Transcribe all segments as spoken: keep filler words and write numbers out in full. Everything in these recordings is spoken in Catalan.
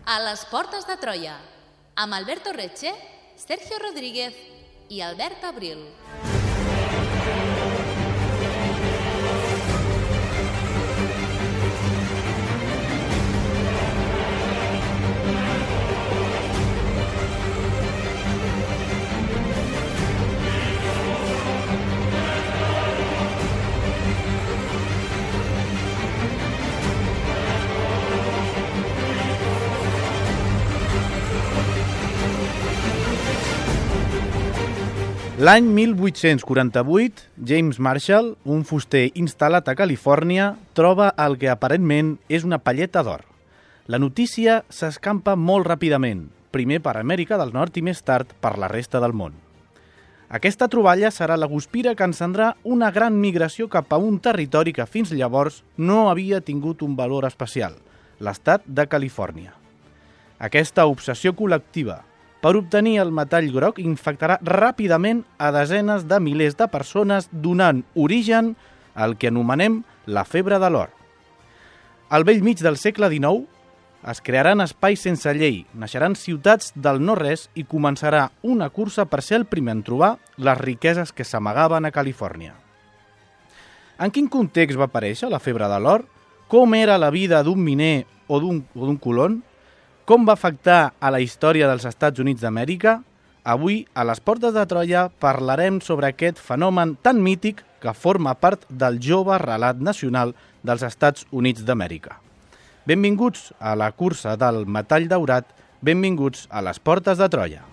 A les portes de Troia, amb Alberto Reche, Sergio Rodríguez i Albert Abril. L'any mil vuit-cents quaranta-vuit, James Marshall, un fuster instal·lat a Califòrnia, troba el que aparentment és una palleta d'or. La notícia s'escampa molt ràpidament, primer per Amèrica del Nord i més tard per la resta del món. Aquesta troballa serà la guspira que encendrà una gran migració cap a un territori que fins llavors no havia tingut un valor especial, l'estat de Califòrnia. Aquesta obsessió col·lectiva per obtenir el metall groc infectarà ràpidament a desenes de milers de persones, donant origen al que anomenem la febre de l'or. Al bell mig del segle dinou es crearan espais sense llei, naixeran ciutats del no-res i començarà una cursa per ser el primer en trobar les riqueses que s'amagaven a Califòrnia. En quin context va aparèixer la febre de l'or? Com era la vida d'un miner o d'un o d'un colon? Com va afectar a la història dels Estats Units d'Amèrica? Avui, a les portes de Troia, parlarem sobre aquest fenomen tan mític que forma part del jove relat nacional dels Estats Units d'Amèrica. Benvinguts a la cursa del metall daurat, benvinguts a les portes de Troia.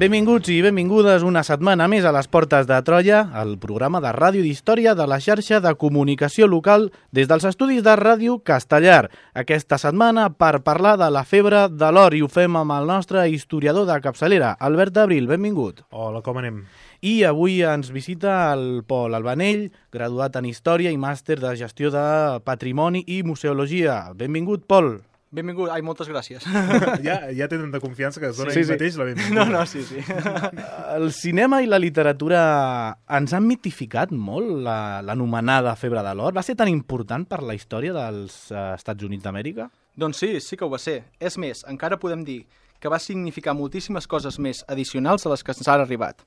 Benvinguts i benvingudes una setmana més a les Portes de Troia, el programa de ràdio d'història de la xarxa de comunicació local des dels estudis de Ràdio Castellar. Aquesta setmana per parlar de la febre de l'or i ho fem amb el nostre historiador de capçalera, Albert Abril, benvingut. Hola, com anem? I avui ens visita el Pol Albanell, graduat en Història i màster de Gestió de Patrimoni i Museologia. Benvingut, Pol. Benvingut, ai, moltes gràcies. Ja, ja té tanta confiança que es dona Sí, ell sí. mateix la benvinguda. No, no, sí, sí. El cinema i la literatura ens han mitificat molt la- l'anomenada febre de l'or. Va ser tan important per la història dels eh, Estats Units d'Amèrica? Doncs sí, sí que ho va ser. És més, encara podem dir que va significar moltíssimes coses més addicionals a les que ens han arribat.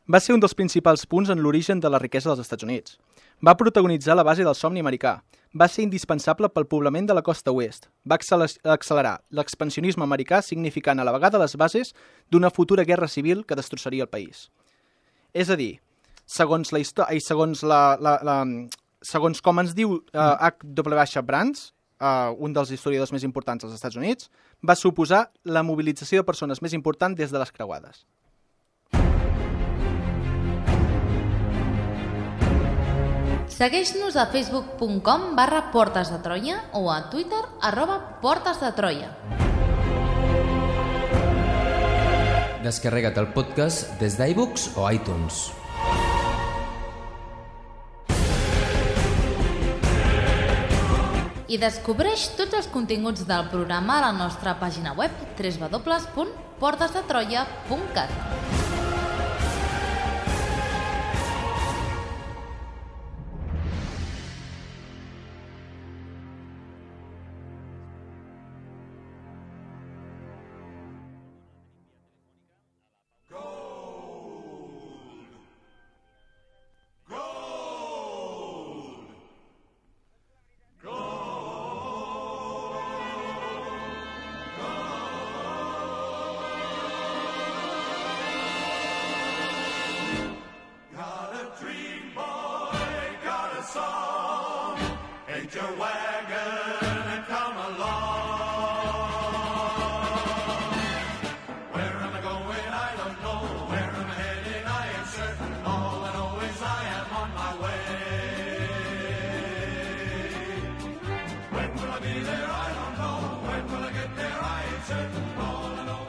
Va ser un dels principals punts en l'origen de la riquesa dels Estats Units. Va protagonitzar la base del somni americà. Va ser indispensable pel poblament de la costa oest. Va accele- accelerar l'expansionisme americà, significant a la vegada les bases d'una futura guerra civil que destrossaria el país. És a dir, segons la història i segons la, la, la segons com ens diu uh, H W Brands, uh, un dels historiadors més importants dels Estats Units, va suposar la mobilització de persones més important des de les creuades. Segueix-nos a facebook punt com barra Portes de Troia o a Twitter arroba Portes de Troia. Descarrega't el podcast des d'iVoox o iTunes. I descobreix tots els continguts del programa a la nostra pàgina web w w w punt portes de troia punt cat.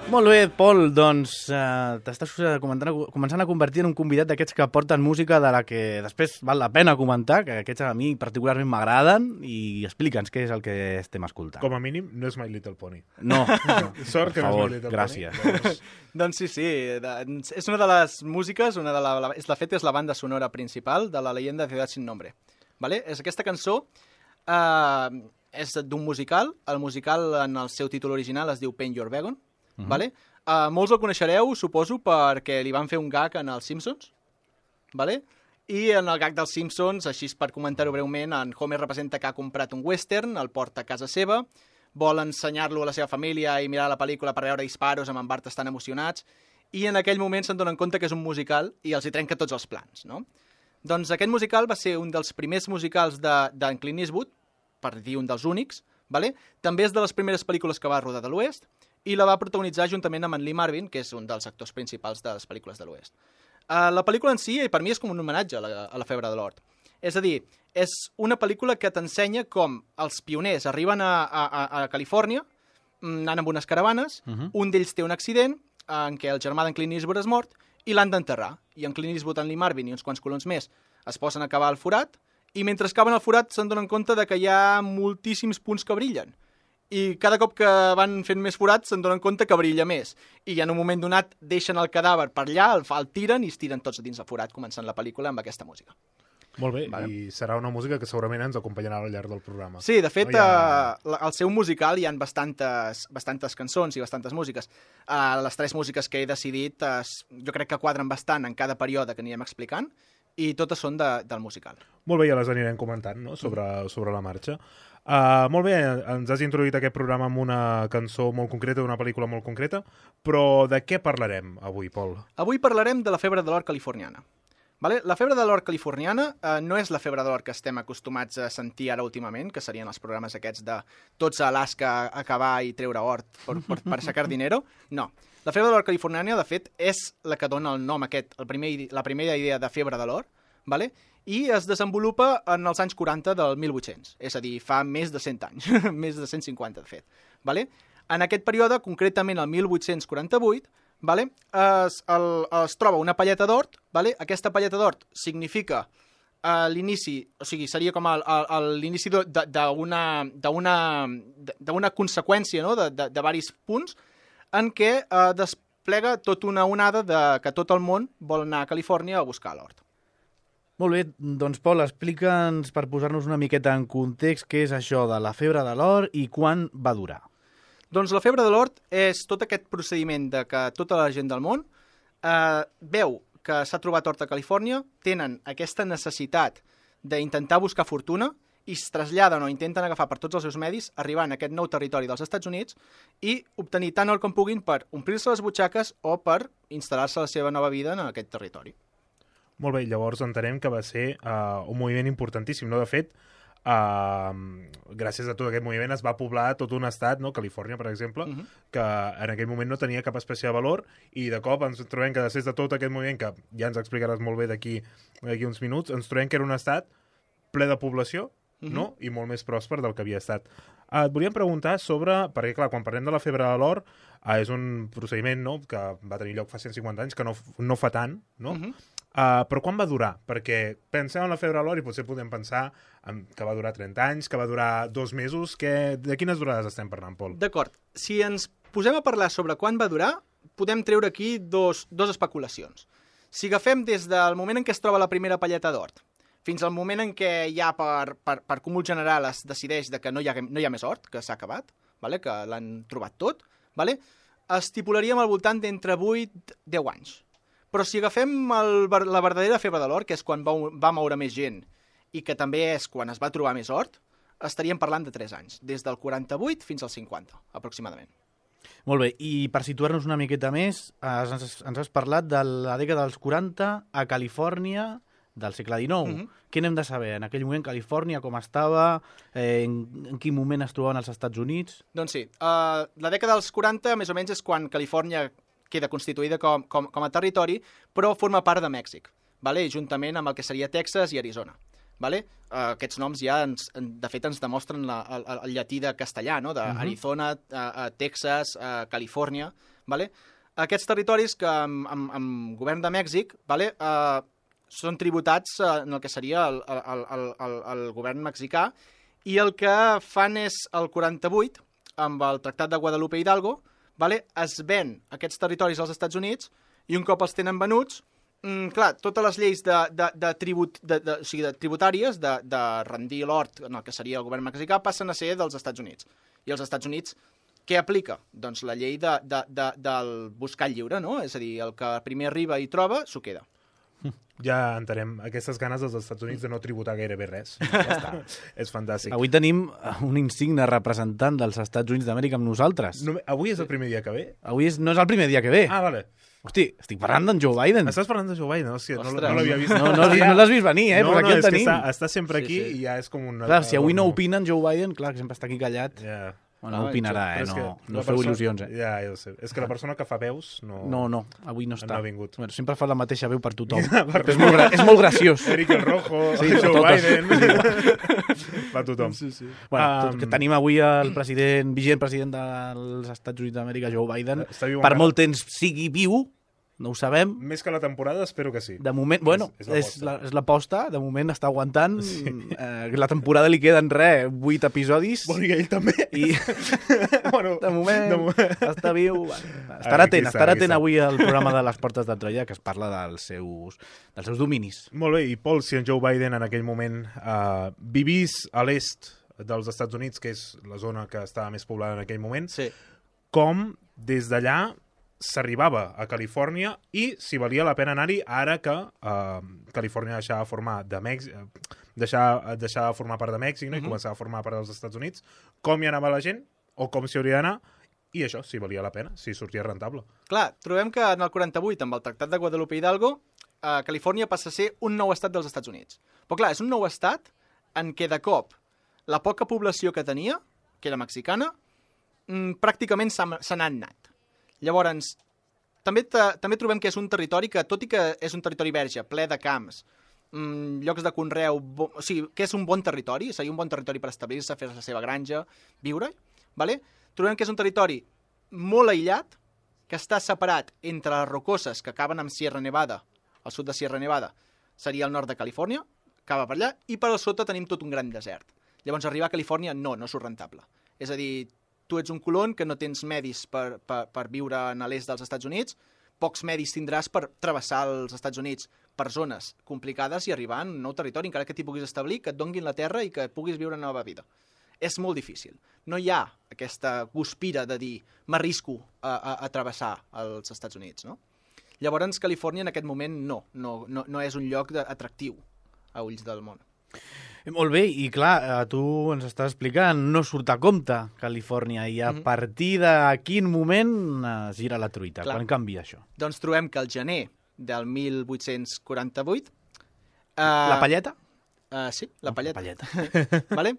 Molt bé, Pol, doncs eh, t'estàs començant a convertir en un convidat d'aquests que porten música de la que després val la pena comentar, que aquests a mi particularment m'agraden, i explica'ns què és el que estem escoltant. Com a mínim, no és My Little Pony. No, no. Sort que per favor, no és My Little gràcies. Pony. Doncs... doncs sí, sí, de, és una de les músiques, una de la, la, és, de fet és la banda sonora principal de la leyenda de Ciudad sin Nombre. Vale? És aquesta cançó eh, és d'un musical, el musical en el seu títol original es diu Paint Your Wagon. Uh -huh. Vale? Uh, molts el coneixereu, suposo, perquè li van fer un gag en els Simpsons. Vale? I en el gag dels Simpsons, així per comentar-ho breument, en Homer representa que ha comprat un western, el porta a casa seva, vol ensenyar-lo a la seva família i mirar la pel·lícula per veure disparos, amb en Bart estan emocionats, i en aquell moment se'n donen compte que és un musical i els hi trenca tots els plans, no? Doncs aquest musical va ser un dels primers musicals d'en de, Clint Eastwood, per dir un dels únics, vale? També és de les primeres pel·lícules que va rodar de l'Oest, i la va protagonitzar juntament amb en Lee Marvin, que és un dels actors principals de les pel·lícules de l'Oest. Uh, la pel·lícula en si, per mi, és com un homenatge a la, a la febre de l'or. És a dir, és una pel·lícula que t'ensenya com els pioners arriben a, a, a Califòrnia, anant amb unes caravanes, uh -huh. un d'ells té un accident en què el germà d'en Clint Eastwood és mort i l'han d'enterrar. I en Clint Eastwood, en Lee Marvin i uns quants colons més es posen a cavar el forat, i mentre caven el forat se'n donen compte de que hi ha moltíssims punts que brillen. I cada cop que van fent més forats se'n donen compte que brilla més. I en un moment donat deixen el cadàver per allà, el, el tiren i es tiren tots dins el forat, començant la pel·lícula amb aquesta música. Molt bé, vale. I serà una música que segurament ens acompanyarà al llarg del programa. Sí, de fet, no ha... uh, al seu musical hi ha bastantes, bastantes cançons i bastantes músiques. Uh, les tres músiques que he decidit uh, jo crec que quadren bastant en cada període que anirem explicant, i totes són de, del musical. Molt bé, ja les anirem comentant, no?, sobre, mm. sobre la marxa. Uh, molt bé, ens has introduït aquest programa amb una cançó molt concreta, d'una pel·lícula molt concreta, però de què parlarem avui, Pol? Avui parlarem de la febre de l'or californiana. Vale? La febre de l'or californiana eh, no és la febre de l'or que estem acostumats a sentir ara últimament, que serien els programes aquests de tots a Alaska a cavar i treure or per, per, per sacar dinero. No. La febre de l'or californiana, de fet, és la que dona el nom aquest, el primer, la primera idea de febre de l'or, vale? I es desenvolupa en els anys quaranta del mil vuit-cents, és a dir, fa més de cent anys, més de cent cinquanta, de fet. Vale? En aquest període, concretament el mil vuit-cents quaranta-vuit, vale? es, el, es troba una palleta d'or, vale? Aquesta palleta d'or significa uh, l'inici, o sigui, seria com l'inici d'una d'una conseqüència, no?, de, de, de varis punts, en què uh, desplega tota una onada de que tot el món vol anar a Califòrnia a buscar l'or. Molt bé, doncs Pol, explica'ns per posar-nos una miqueta en context què és això de la febre de l'or i quan va durar. Doncs la febre de l'or és tot aquest procediment de que tota la gent del món eh, veu que s'ha trobat or a Califòrnia, tenen aquesta necessitat d'intentar buscar fortuna i es traslladen o intenten agafar per tots els seus medis, arribant a aquest nou territori dels Estats Units i obtenir tant or com puguin per omplir-se les butxaques o per instal·lar-se la seva nova vida en aquest territori. Molt bé, llavors entenem que va ser uh, un moviment importantíssim, no? De fet, uh, gràcies a tot aquest moviment es va poblar tot un estat, no? Califòrnia, per exemple, uh -huh. que en aquell moment no tenia cap espècie de valor, i de cop ens trobem que després de tot aquest moviment, que ja ens explicaràs molt bé d'aquí d'aquí uns minuts, ens trobem que era un estat ple de població, uh -huh. no? I molt més pròsper del que havia estat. Uh, et volíem preguntar sobre, perquè clar, quan parlem de la febre de l'or, uh, és un procediment, no?, que va tenir lloc fa cent cinquanta anys, que no, no fa tant, no? Uh -huh. Uh, però quan va durar? Perquè pensem en la febre de l'or i potser podem pensar en que va durar trenta anys, que va durar dos mesos, que... de quines durades estem parlant, Pol? D'acord. Si ens posem a parlar sobre quan va durar, podem treure aquí dos, dos especulacions. Si agafem des del moment en què es troba la primera palleta d'or fins al moment en què ja per, per, per cúmul general es decideix de que no hi ha, no hi ha més or, que s'ha acabat, vale? Que l'han trobat tot, vale? Estipularíem al voltant d'entre vuit a deu anys. Però si agafem el, la verdadera febre de l'or, que és quan va, va moure més gent i que també és quan es va trobar més or, estaríem parlant de tres anys, des del quaranta-vuit fins al cinquanta, aproximadament. Molt bé, i per situar-nos una miqueta més, ens, ens has parlat de la dècada dels quaranta a Califòrnia del segle dinou. Uh -huh. Què n'hem de saber? En aquell moment Califòrnia com estava? Eh, en, en quin moment es trobaven als Estats Units? Doncs sí, uh, la dècada dels quaranta més o menys és quan Califòrnia queda constituïda com, com, com a territori, però forma part de Mèxic, vale? Juntament amb el que seria Texas i Arizona. vale? Uh, aquests noms ja, ens, de fet, ens demostren la, el, el llatí de castellà, no? d'Arizona, uh -huh. uh, uh, Texas, uh, Califòrnia. Vale? Aquests territoris que amb, amb, amb govern de Mèxic vale, uh, són tributats uh, en el que seria el, el, el, el, el govern mexicà, i el que fan és el quaranta-vuit, amb el Tractat de Guadalupe Hidalgo, vale, es ven aquests territoris als Estats Units, i un cop els tenen venuts, Mm, clar, totes les lleis de, de, de, tribut, de, de, o sigui, de tributàries de, de rendir l'hort en el que seria el govern mexicà passen a ser dels Estats Units. I els Estats Units, què aplica? Doncs la llei de, de, de, del buscar lliure, no? És a dir, el que primer arriba i troba, s'ho queda. Ja entenem aquestes ganes dels Estats Units de no tributar gairebé res. Ja està. És fantàstic. Avui tenim un insigne representant dels Estats Units d'Amèrica amb nosaltres. No, avui és el primer dia que ve? Avui és, no és el primer dia que ve. Ah, vale. Hosti, estic parlant d'en Joe Biden. Estàs parlant de Joe Biden? Hòstia, no, no l'havia vist. No, no, no l'has vist venir, eh? No, Però aquí no, el és tenim. que està, està sempre aquí sí, sí. i ja és com un... Clar, si avui no opina en Joe Biden, clar, que sempre està aquí callat. Ja. Bueno, no opinarà, eh? No, no feu il·lusions, eh? Ja, ja ho sé. És que la persona que fa veus no... No, no, avui no està. No ha vingut. Bueno, sempre fa la mateixa veu per tothom. és, molt gra... és molt graciós. Eric el Rojo, sí, Joe totes. Biden... fa tothom. Sí, sí. Bueno, um... que tenim avui el president, vigent president dels Estats Units d'Amèrica, Joe Biden. Per encara? Molt temps sigui viu, no ho sabem. Més que la temporada, espero que sí. De moment, bueno, és, és l'aposta. La, de moment està aguantant. Sí. Eh, la temporada li queden, res, vuit episodis. Bueno, i ell també. I bueno, de, moment, de moment està viu. Bueno, estarà atent, estarà atent avui al programa de les Portes de Troia, que es parla dels seus, dels seus dominis. Molt bé, i Pol, si en Joe Biden en aquell moment uh, vivís a l'est dels Estats Units, que és la zona que estava més poblada en aquell moment, sí. com des d'allà s'arribava a Califòrnia i si valia la pena anar-hi ara que uh, Califòrnia deixava de formar de Mèxic, deixava, deixava de formar part de Mèxic, no? Uh -huh. I començava a formar part dels Estats Units, com hi anava la gent o com s'hi hauria d'anar, i això, si valia la pena, si sortia rentable. Clar, trobem que en el quaranta-vuit, amb el Tractat de Guadalupe Hidalgo, eh, Califòrnia passa a ser un nou estat dels Estats Units. Però clar, és un nou estat en què de cop la poca població que tenia, que era mexicana, mmm, pràcticament se n'ha anat. Llavors, també, també trobem que és un territori que, tot i que és un territori verge, ple de camps, mmm, llocs de conreu, bo, o sigui, que és un bon territori, seria un bon territori per establir-se, fer la seva granja, viure, vale? Trobem que és un territori molt aïllat, que està separat entre les rocoses que acaben amb Sierra Nevada, al sud de Sierra Nevada, seria el nord de Califòrnia, acaba per allà, i per al sota tenim tot un gran desert. Llavors, arribar a Califòrnia no, no surt rentable. És a dir, tu ets un colon que no tens medis per, per, per viure a l'est dels Estats Units, pocs medis tindràs per travessar els Estats Units per zones complicades i arribar a un nou territori, encara que t'hi puguis establir, que et donguin la terra i que puguis viure una nova vida. És molt difícil. No hi ha aquesta guspira de dir m'arrisco a, a, a travessar els Estats Units, no? Llavors, Califòrnia en aquest moment no, no, no, no és un lloc atractiu a ulls del món. Molt bé, i clar, tu ens estàs explicant, no surt a compte Califòrnia, i a mm-hmm. partir de quin moment es gira la truita? Clar. Quan canvia això? Doncs trobem que al gener del mil vuit-cents quaranta-vuit... Eh, la palleta? Uh, sí, la palleta. La palleta. Vale?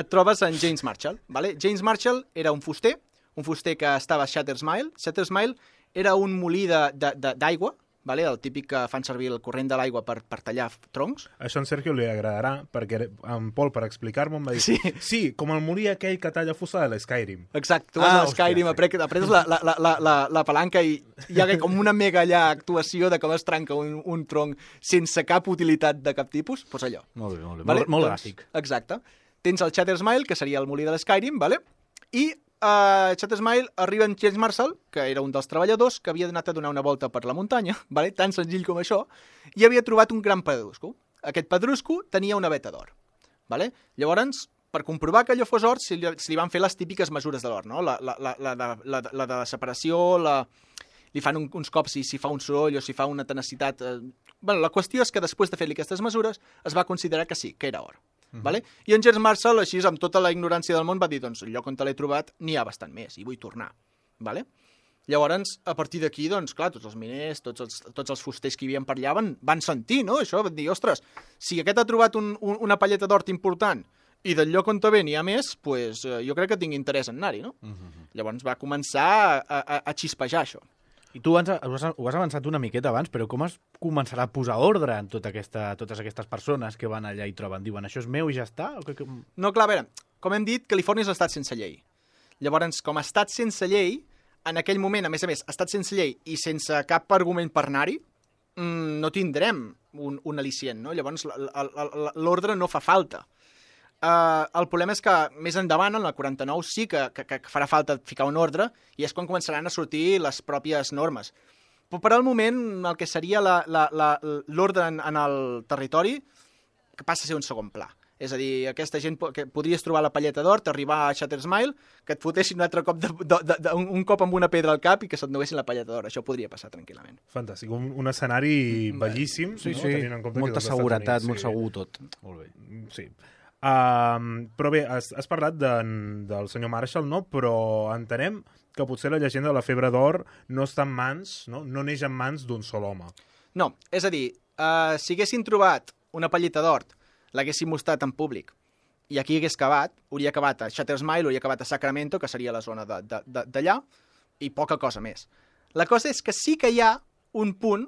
Et trobes en James Marshall. Vale? James Marshall era un fuster, un fuster que estava a Shutters Mill. Shutters Mill era un molí d'aigua, vale? El típic que fan servir el corrent de l'aigua per, per tallar troncs. Això en Sergio li agradarà, perquè en Pol, per explicar-m'ho, em va dir sí. sí, com el molí aquell que talla fusta de l'Skyrim. Exacte, tu vas ah, a l'Skyrim, hòstia, apretes la, la, la, la, la palanca i hi ha com una mega allà actuació de com es trenca un, un tronc sense cap utilitat de cap tipus, doncs allò. Molt bé, molt bé, vale? molt, molt doncs, gràfic. Exacte. Tens el Shutters Mill, que seria el molí de l'Skyrim, vale? I a uh, Shutters Mill arriba en James Marshall, que era un dels treballadors, que havia anat a donar una volta per la muntanya, vale? Tan senzill com això, i havia trobat un gran pedrusco. Aquest pedrusco tenia una veta d'or. Vale? Llavors, per comprovar que allò fos or, se li, se li van fer les típiques mesures de l'or, no? La, la, la, la, la, la, la de separació, la... li fan un, uns cops si, si fa un soroll o si fa una tenacitat. Eh... Bueno, la qüestió és que després de fer-li aquestes mesures es va considerar que sí, que era or. Mm-hmm. Vale? I en James Marshall, així, amb tota la ignorància del món, va dir, doncs, el lloc on te l'he trobat n'hi ha bastant més, i vull tornar. Vale? Llavors, a partir d'aquí, doncs, clar, tots els miners, tots els, tots els fusters que hi havia per allà van, van sentir, no?, això, van dir, ostres, si aquest ha trobat un, un, una palleta d'hort important i del lloc on te ve n'hi ha més, pues, eh, jo crec que tinc interès en anar-hi, no? Mm-hmm. Llavors va començar a, a, a xispejar això. I tu ens, ho, has, ho has avançat una miqueta abans, però com es començarà a posar ordre en tota aquesta, totes aquestes persones que van allà i troben? Diuen, això és meu i ja està? O que, que... No, clar, a veure, com hem dit, Califòrnia és l'estat sense llei. Llavors, com a estat sense llei, en aquell moment, a més a més, estat sense llei i sense cap argument per anar-hi, mmm, no tindrem un, un al·licient, no? Llavors, l'ordre no fa falta. Uh, el problema és que més endavant, en la quaranta-nou, sí que, que, que farà falta ficar un ordre i és quan començaran a sortir les pròpies normes. Però per al moment, el que seria l'ordre en, en el territori que passa a ser un segon pla. És a dir, aquesta gent que podries trobar la palleta d'or, t'arribar a Shattersmile, que et fotessin un altre cop, de, de, de, de, un, un cop amb una pedra al cap i que se't donessin la palleta d'or. Això podria passar tranquil·lament. Fantàstic. Un, un escenari bellíssim. Sí, no? sí. Tenint en compte molta que seguretat, Units, molt sí. segur tot. Molt bé. Sí. Um, però bé, has, has parlat de, del senyor Marshall, no? Però entenem que potser la llegenda de la febre d'or no està en mans, no, no neix en mans d'un sol home. No, és a dir, uh, si haguessin trobat una palleta d'or, l'haguessin mostrat en públic, i aquí hagués acabat, hauria acabat a Shattersmile, hauria acabat a Sacramento, que seria la zona d'allà, i poca cosa més. La cosa és que sí que hi ha un punt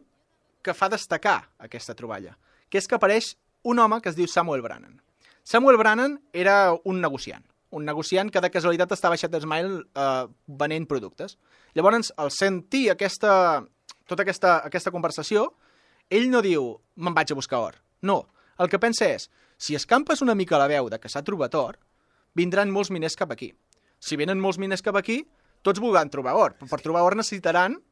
que fa destacar aquesta troballa, que és que apareix un home que es diu Samuel Brannan. Samuel Brannan era un negociant, un negociant que de casualitat estava a Shattersmile eh, venent productes. Llavors, al sentir aquesta, tota aquesta, aquesta conversació, ell no diu, me'n vaig a buscar or. No, el que pensa és, si escampes una mica la veu de que s'ha trobat or, vindran molts miners cap aquí. Si venen molts miners cap aquí, tots voldran trobar or. Per trobar or necessitaran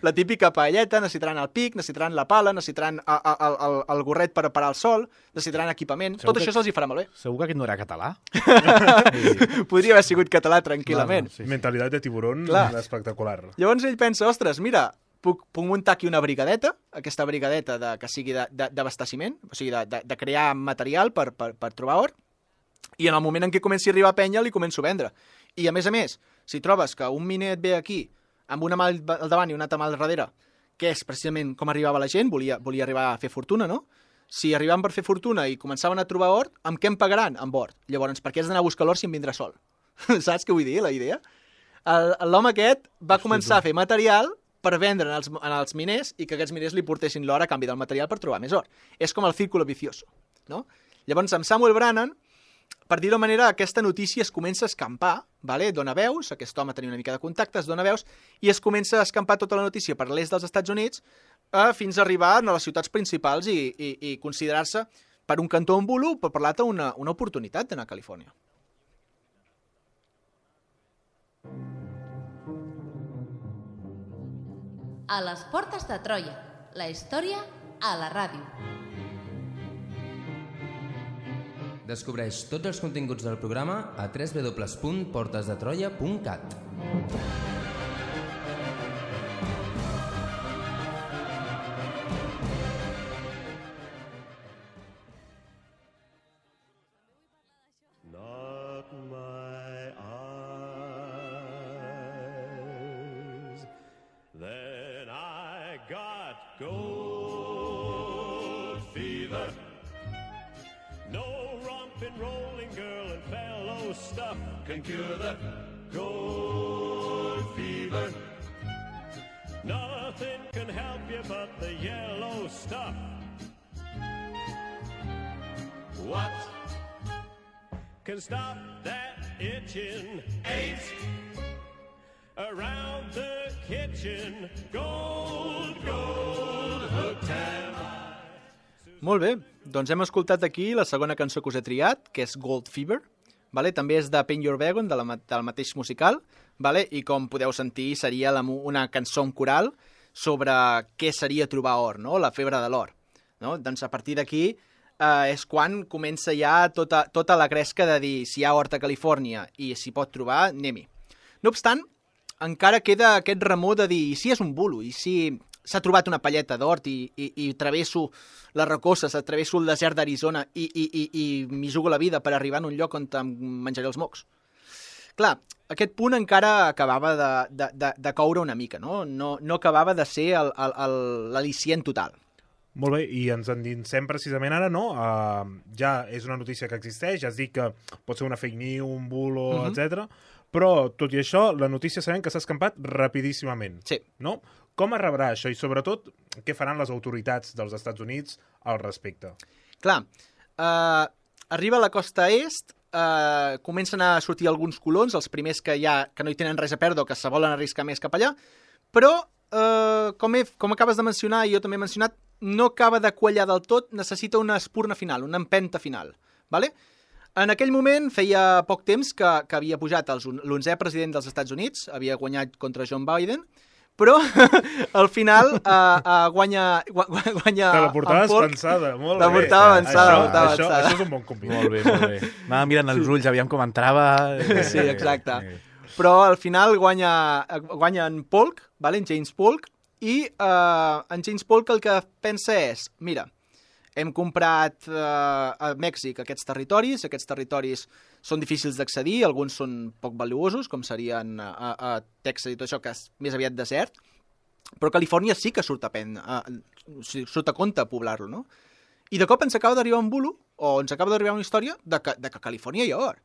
la típica paelleta, necessitaran el pic, necessitaran la pala, necessitaran el, el, el, el gorret per parar el sol, necessitaran equipament. Segur Tot que... això se'ls hi farà malbé. Segur que aquest no era català? Podria haver sigut català tranquil·lament. No, no, sí, sí. Mentalitat de tiburón espectacular. Llavors ell pensa, ostres, mira, puc, puc muntar aquí una brigadeta, aquesta brigadeta de, que sigui d'abasteciment, o sigui, de, de, de crear material per, per, per trobar or, i en el moment en què comenci a arribar penya li començo a vendre. I a més a més, si trobes que un miner et ve aquí amb una mà al davant i una altra mà al darrere, que és precisament com arribava la gent, volia, volia arribar a fer fortuna, no? Si arribaven per fer fortuna i començaven a trobar or, amb què em pagaran? Amb or. Llavors, per què has d'anar a buscar l'or si em vindrà sol? Saps què vull dir, la idea? L'home aquest va començar a fer material per vendre en els, en els miners i que aquests miners li portessin l'or a canvi del material per trobar més or. És com el círculo vicioso, no? Llavors, amb Samuel Brannan, per dir-ho de manera, aquesta notícia es comença a escampar, vale? Dona veus, aquest home tenia una mica de contactes, dona veus, i es comença a escampar tota la notícia per l'est dels Estats Units eh, fins a arribar a les ciutats principals i, i, i considerar-se per un cantó un bulo, per parlar-te una, una oportunitat d'anar a Califòrnia. A les portes de Troia, la història a la ràdio. Descobreix tots els continguts del programa a w w w punt portes de troia punt cat. Not my eyes. Then I got gold fever. No romping, rolling girl and fellow stuff can cure the gold fever. Nothing can help you but the yellow stuff. What can stop that itching? Eight around the kitchen. Gold, gold, hooked and Molt bé, doncs hem escoltat aquí la segona cançó que us he triat, que és Gold Fever, vale? També és de Paint Your Wagon, de la, del mateix musical, vale? I com podeu sentir seria la, una cançó en coral sobre què seria trobar or, no? La febre de l'or. No? Doncs a partir d'aquí eh, és quan comença ja tota, tota la gresca de dir si hi ha hort a Califòrnia i s'hi pot trobar, anem-hi. No obstant, encara queda aquest remor de dir i si és un bulo, i si s'ha trobat una palleta d'hort i, i, i travesso les rocoses, travesso el desert d'Arizona i, i, i, i m'hi jugo la vida per arribar en un lloc on em menjaré els mocs. Clar, aquest punt encara acabava de, de, de, de coure una mica, no? No, no acabava de ser l'al·licient total. Molt bé, i ens endinsem precisament ara, no? Uh, ja és una notícia que existeix, ja has dit que pot ser una fake news, un bulo, uh-huh. etcètera. Però, tot i això, la notícia sabem que s'ha escampat rapidíssimament. Sí. No? Com es rebrà això? I, sobretot, què faran les autoritats dels Estats Units al respecte? Clar, eh, arriba a la costa est, eh, comencen a sortir alguns colons, els primers que, ja, que no hi tenen res a perdre o que se volen arriscar més cap allà, però, eh, com, he, com acabes de mencionar i jo també he mencionat, no acaba de quallar del tot, necessita una espurna final, una empenta final. Vale? En aquell moment feia poc temps que, que havia pujat l'onzè president dels Estats Units, havia guanyat contra John Biden, però al final uh, uh, guanya, guanya Te la portaves pensada, molt bé. La portava pensada, això, portava això, pensada. això és un bon convidat. Molt bé, molt bé. Anava mirant els ulls, aviam com entrava... Sí, exacte. Però al final guanya, guanya en Polk, vale? En James Polk, i uh, en James Polk el que pensa és, mira, hem comprat uh, a Mèxic aquests territoris, aquests territoris són difícils d'accedir, alguns són poc valuosos, com serien a, a, a Texas i tot això, que és més aviat desert, però Califòrnia sí que surt a, pen, a, surt a compte a poblar-lo, no? I de cop ens acaba d'arribar un bulo, o ens acaba d'arribar una història de que, de que a Califòrnia hi ha or.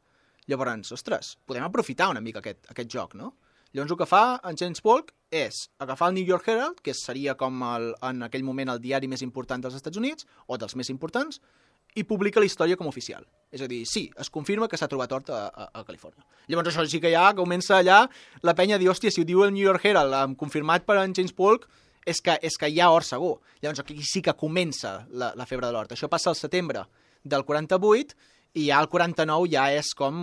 Llavors, ostres, podem aprofitar una mica aquest, aquest joc, no? Llavors el que fa en James Polk és agafar el New York Herald, que seria com el, en aquell moment el diari més important dels Estats Units, o dels més importants, i publica la història com a oficial. És a dir, sí, es confirma que s'ha trobat or a, a, a Califòrnia. Llavors això sí que ja comença allà la penya a dir, hòstia, si ho diu el New York Herald, confirmat per en James Polk, és que, és que hi ha or segur. Llavors aquí sí que comença la, la febre de l'hort. Això passa al setembre del quaranta-vuit, i ja el quaranta-nou ja és com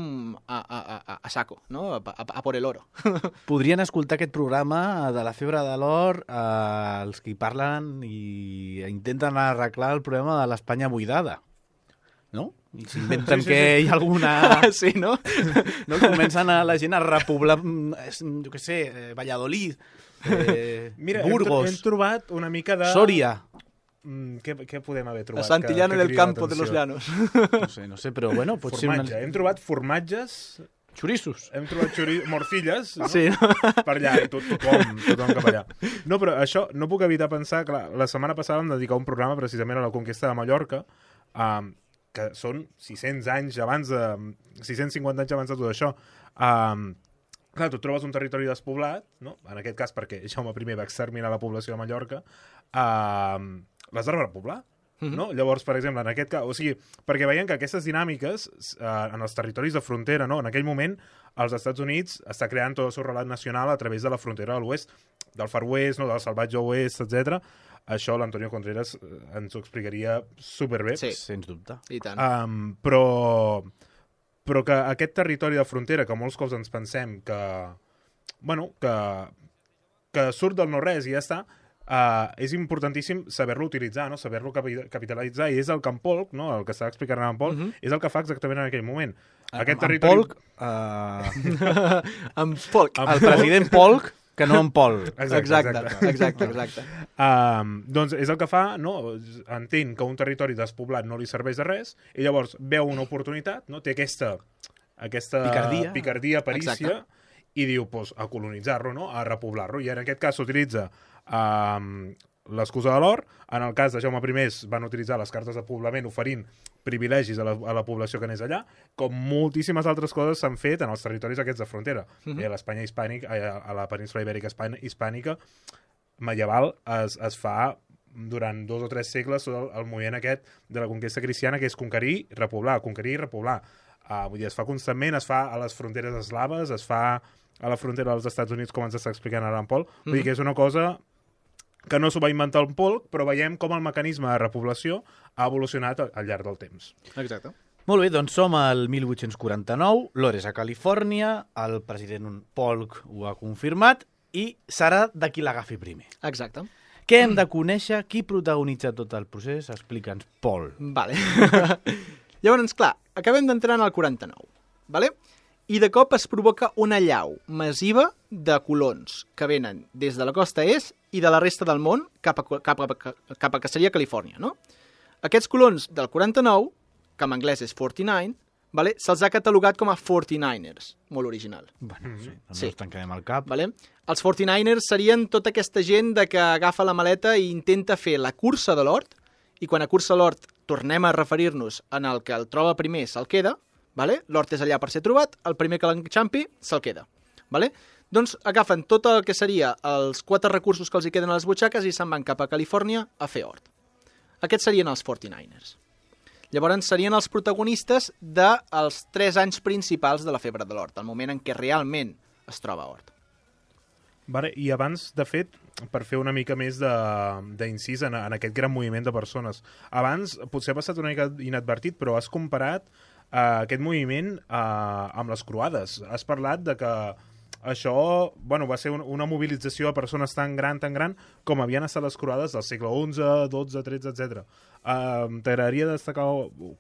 a, a, a, a saco, no? A, a, a por el oro. Podrien escoltar aquest programa de la febre de l'or eh, els que hi parlen i intenten arreglar el problema de l'Espanya buidada, no? I s'inventen sí, sí, que sí. hi ha alguna... Sí, no? no? Comencen a la gent a repoblar, jo què sé, Valladolid, eh, Mira, Burgos... hem, hem trobat una mica de... Sòria. Mm, què, què podem haver trobat? A Santillana que, que del Campo de los Llanos. No sé, no sé, però bueno... Pot Formatge. ser una... Hem trobat formatges... Xorissos. Hem trobat xori... morcilles, no? Sí, no? Per allà, i tot, tothom, tothom cap allà. No, però això no puc evitar pensar... Clar, la setmana passada vam dedicar un programa precisament a la conquesta de Mallorca, um, que són sis-cents anys abans de... sis-cents cinquanta anys abans de tot això. Um, clar, tu trobes un territori despoblat, no? En aquest cas perquè Jaume primer va exterminar la població de Mallorca, um, l'has de repoblar. Mm-hmm. No? Llavors, per exemple, en aquest cas... O sigui, perquè veiem que aquestes dinàmiques eh, en els territoris de frontera, no? En aquell moment, els Estats Units està creant tot el seu relat nacional a través de la frontera de l'oest, del Far West, no? Del salvatge oest, etcètera. Això l'Antonio Contreras ens ho explicaria superbé. Sí, sens dubte. I tant. Um, però, però que aquest territori de frontera, que molts cops ens pensem que, bueno, que, que surt del no-res i ja està, Uh, és importantíssim saber-lo utilitzar, no? Saber-lo capitalitzar, i és el que en Polk, no? El que estava explicant en Polk, uh-huh. és el que fa exactament en aquell moment. Aquest en territori... Polk, uh... en Polk. El president Polk, que no en Pol. Exacte, exacte, exacte. exacte, exacte. Um, doncs és el que fa, no? Entén que un territori despoblat no li serveix de res, i llavors veu una oportunitat, no? Té aquesta, aquesta picardia, picardia perícia, exacte. I diu, pues, a colonitzar-lo, no? A repoblar-lo, i en aquest cas s'utilitza Um, l'excusa de l'or. En el cas de Jaume primer van utilitzar les cartes de poblament oferint privilegis a la, a la població que anés allà, com moltíssimes altres coses s'han fet en els territoris aquests de frontera. Uh-huh. A l'Espanya hispànica, a la península ibèrica hispànica medieval es, es fa durant dos o tres segles el, el moviment aquest de la conquesta cristiana, que és conquerir, repoblar, conquerir i repoblar. Uh, vull dir, es fa constantment, es fa a les fronteres eslaves, es fa a la frontera dels Estats Units, com ens està explicant ara en Pol. Vull uh-huh. dir que és una cosa que no s'ho va inventar el Polk, però veiem com el mecanisme de repoblació ha evolucionat al llarg del temps. Exacte. Molt bé, doncs som al mil vuit-cents quaranta-nou, l'or és a Califòrnia, el president Polk ho ha confirmat, i serà de qui l'agafi primer. Exacte. Què hem de conèixer? Qui protagonitza tot el procés? Explica'ns, Pol. Vale. Llavors, clar, acabem d'entrar en el quaranta-nou, vale? I de cop es provoca una allau massiva de colons que venen des de la costa est i de la resta del món cap a, cap a, cap a que seria Califòrnia, no? Aquests colons del quaranta-nou, que en anglès és quaranta-nou, vale? Se'ls ha catalogat com a quaranta-niners, molt original. Bueno, sí, no sí. ens tancarem el cap. Vale? Els quaranta-niners serien tota aquesta gent de que agafa la maleta i intenta fer la cursa de l'hort, i quan a cursa de l'hort tornem a referir-nos en el que el troba primer se'l queda, Vale? L'hort és allà per ser trobat, el primer que l'enxampi se'l queda. Vale? Doncs agafen tot el que seria els quatre recursos que els hi queden a les butxaques i se'n van cap a Califòrnia a fer hort. Aquests serien els quaranta-niners. Llavors serien els protagonistes dels tres anys principals de la febre de l'hort, el moment en què realment es troba hort. Vale, i abans, de fet, per fer una mica més d'incís en, en aquest gran moviment de persones, abans potser ha passat una mica inadvertit, però has comparat uh, aquest moviment uh, amb les croades. Has parlat de que això bueno, va ser un, una mobilització de persones tan gran, tan gran, com havien estat les croades del segle onze, dotze, tretze, etcètera. Uh, T'agradaria destacar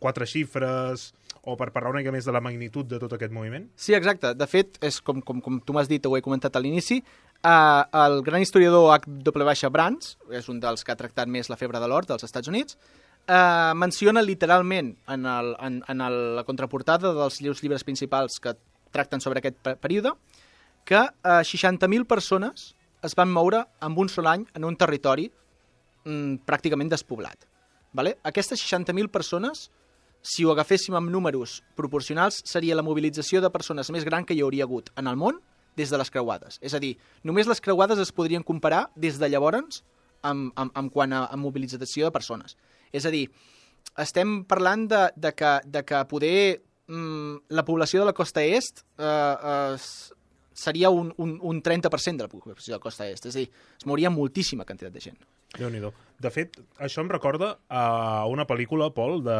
quatre xifres o per parlar una mica més de la magnitud de tot aquest moviment? Sí, exacte. De fet, és com, com, com tu m'has dit, ho he comentat a l'inici, uh, el gran historiador H W Brands, és un dels que ha tractat més la febre de l'hort dels Estats Units, uh, menciona literalment en, el, en, en el, la contraportada dels llibres principals que tracten sobre aquest període, que uh, seixanta mil persones es van moure en un sol any en un territori mm, pràcticament despoblat. Vale? Aquestes seixanta mil persones, si ho agaféssim amb números proporcionals, seria la mobilització de persones més gran que hi hauria hagut en el món des de les creuades. És a dir, només les creuades es podrien comparar des de llavors amb, amb, amb quant a, a mobilització de persones. És a dir, estem parlant de, de, que, de que poder mm, la població de la costa est eh, eh, seria un, un, un trenta per cent de la població de la costa est. És a dir, es mouria moltíssima quantitat de gent. Déu-n'hi-do. De fet, això em recorda a una pel·lícula, Pol, de,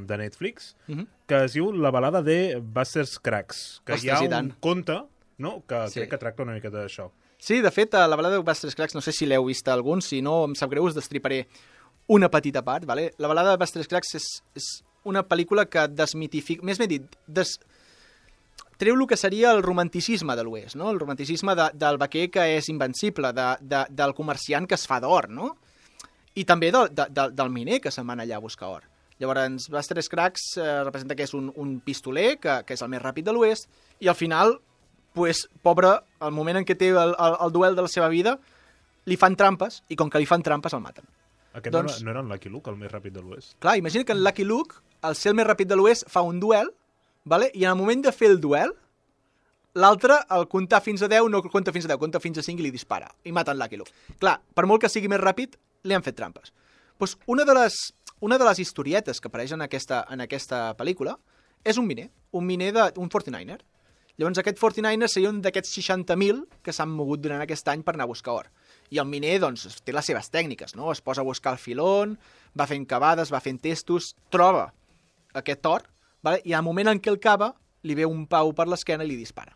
de Netflix, uh -huh. que es diu La balada de Buster Scruggs, que Ostres, hi ha i tant. un conte, no?, que Sí. crec que tracta una mica d'això. Sí, de fet, a la balada de Buster Scruggs, no sé si l'heu vist algun, si no, em sap greu, us destriparé una petita part. Vale? La balada de Buster Scruggs és, és una pel·lícula que desmitifica, més ben dit, des... treu el que seria el romanticisme de l'Oest, no? El romanticisme de, del vaquer que és invencible, de, de, del comerciant que es fa d'or, no? I també de, de, de, del miner que se'n van allà a buscar or. Llavors, Buster Scruggs eh, representa que és un, un pistoler, que, que és el més ràpid de l'Oest, i al final, pues, pobre, al moment en què té el, el, el duel de la seva vida, li fan trampes, i com que li fan trampes, el maten. Aquest Doncs- no, era, no era en Lucky Luke, el més ràpid de l'Oest? Clar, imagina que en Lucky Luke, el ser el més ràpid de l'Oest, fa un duel, vale? I en el moment de fer el duel, l'altre, al comptar fins a deu, no compta fins a deu, compta fins a cinc i li dispara. I maten Lucky Luke. Clar, per molt que sigui més ràpid, li han fet trampes. Pues una, de les, una de les historietes que apareix en aquesta, en aquesta pel·lícula és un miner, un miner de, un quaranta-niner. Llavors aquest quaranta-niner seria un d'aquests seixanta mil que s'han mogut durant aquest any per anar a buscar or. I el miner, doncs, té les seves tècniques, no? Es posa a buscar el filon, va fent cavades, va fent testos, troba aquest or, vale? I al moment en què el cava, li ve un pau per l'esquena i li dispara.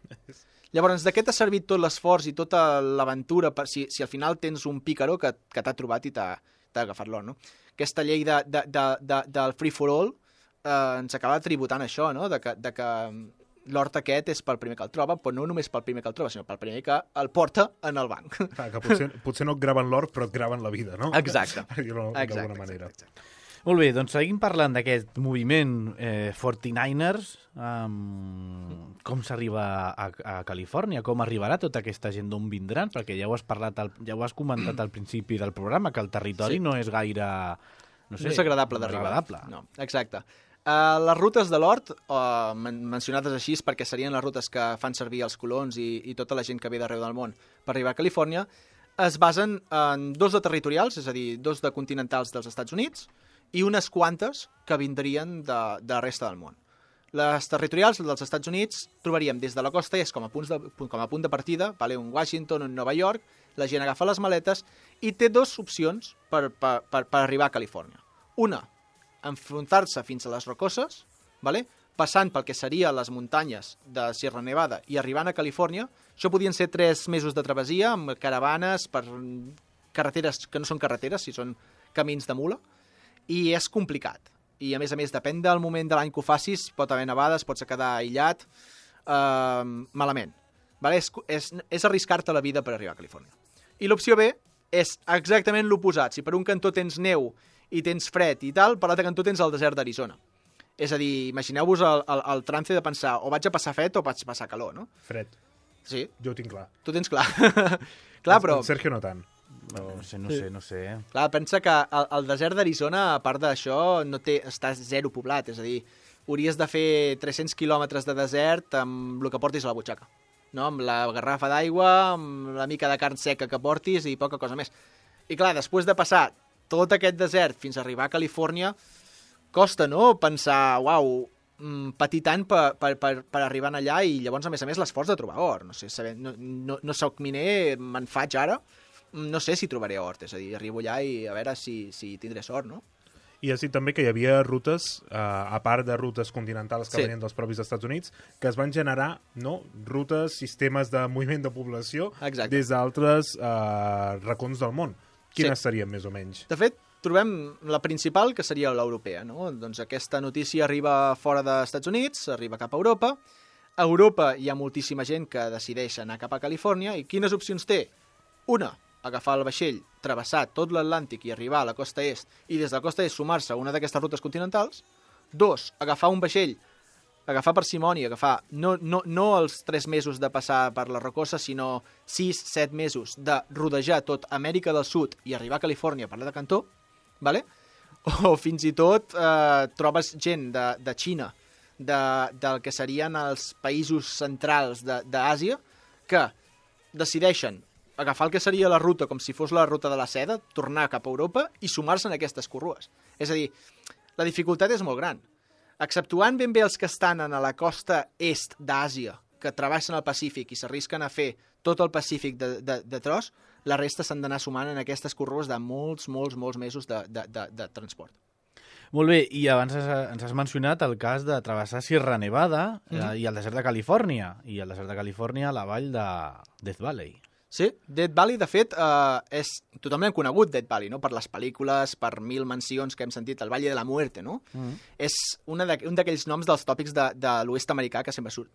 Llavors, d'aquest ha servit tot l'esforç i tota l'aventura, per si, si al final tens un pícaro que, que t'ha trobat i t'ha agafat l'or, no? Aquesta llei de, de, de, de, del free for all eh, ens acaba tributant això, no? De que, de que l'hort aquest és pel primer que el troba, però no només pel primer que el troba, sinó pel primer que el porta en el banc. Ah, que potser, potser no et graven l'or, però et graven la vida, no? Exacte. Per dir-ho Exacte, d'alguna manera. exacte, exacte. Molt bé, doncs seguim parlant d'aquest moviment eh, quaranta-niners. Um, com s'arriba a, a Califòrnia? Com arribarà tota aquesta gent? D'on vindran? Perquè ja ho has parlat, al, ja ho has comentat al principi del programa, que el territori Sí. no és gaire... No, sé, No és agradable no és d'arribar. agradable. No, exacte. Uh, les rutes de l'hort, uh, men mencionades així perquè serien les rutes que fan servir els colons i, i tota la gent que ve d'arreu del món per arribar a Califòrnia, es basen en dos de territorials, és a dir, dos de continentals dels Estats Units, i unes quantes que vindrien de, de la resta del món. Les territorials dels Estats Units trobaríem des de la costa est com a, punts de, com a punt de partida, vale? Un Washington, un Nova York, la gent agafa les maletes i té dues opcions per, per, per, per arribar a Califòrnia. Una, enfrontar-se fins a les Rocoses, vale? Passant pel que seria les muntanyes de Sierra Nevada i arribant a Califòrnia. Això podien ser tres mesos de travessia amb caravanes per carreteres que no són carreteres, si són camins de mula, i és complicat. I, a més a més, depèn del moment de l'any que ho facis, pot haver nevades, pots quedar aïllat, eh, malament. Vale? És, és, és arriscar-te la vida per arribar a Califòrnia. I l'opció B és exactament l'oposat. Si per un cantó tens neu i tens fred i tal, per l'altre cantó tens el desert d'Arizona. És a dir, imagineu-vos el, el, el trance de pensar o vaig a passar fred o vaig a passar calor, no? Fred. Sí, Jo ho tinc clar. tu tens clar. Clar, però... El Sergio no tant. No, no sé, no sé, no sé. Clar, pensa que el, el desert d'Arizona, a part d'això, no té, està zero poblat, és a dir, hauries de fer tres-cents quilòmetres de desert amb el que portis a la butxaca. No? Amb la garrafa d'aigua, amb la mica de carn seca que portis i poca cosa més. I clar, després de passar tot aquest desert fins a arribar a Califòrnia, costa, no?, pensar, uau, patir tant per, per, per, per arribar allà i llavors, a més a més, l'esforç de trobar or. No sé, saber, no, no, no soc miner, me'n faig ara, no sé si trobaré or, és a dir, arribo allà i a veure si, si tindré sort, no? I has dit també que hi havia rutes, eh, a part de rutes continentals que Sí. venien dels propis Estats Units, que es van generar, no?, rutes, sistemes de moviment de població Exacte. des d'altres eh, racons del món. Quines Sí. serien, més o menys? De fet, trobem la principal, que seria l'europea, no? Doncs aquesta notícia arriba fora dels Estats Units, arriba cap a Europa. A Europa hi ha moltíssima gent que decideix anar cap a Califòrnia, i quines opcions té? Una, agafar el vaixell, travessar tot l'Atlàntic i arribar a la costa est, i des de la costa est sumar-se a una d'aquestes rutes continentals. Dos, agafar un vaixell, agafar parsimònia, agafar no, no, no els tres mesos de passar per la Rocosa, sinó sis, set mesos de rodejar tot Amèrica del Sud i arribar a Califòrnia per la de Cantó, vale? O fins i tot eh, trobes gent de, de Xina, de, del que serien els països centrals de- d'Àsia, que decideixen agafar el que seria la ruta com si fos la ruta de la seda, tornar cap a Europa i sumar-se en aquestes corrues. És a dir, la dificultat és molt gran. Exceptuant ben bé els que estan a la costa est d'Àsia, que travessen el Pacífic i s'arrisquen a fer tot el Pacífic de, de, de tros, la resta s'han d'anar sumant en aquestes corrues de molts, molts, molts mesos de, de, de, de transport. Molt bé, i abans has, ens has mencionat el cas de travessar Sierra Nevada eh, Mhm. i el desert de Califòrnia, i el desert de Califòrnia, la vall de Death Valley. Sí, Death Valley, de fet, eh, és totalment hem conegut Death Valley, no? Per les pel·lícules, per mil mencions que hem sentit, el Valle de la Muerte, no? Mm. És una de, un d'aquells noms dels tòpics de, de l'oest americà que sempre surt.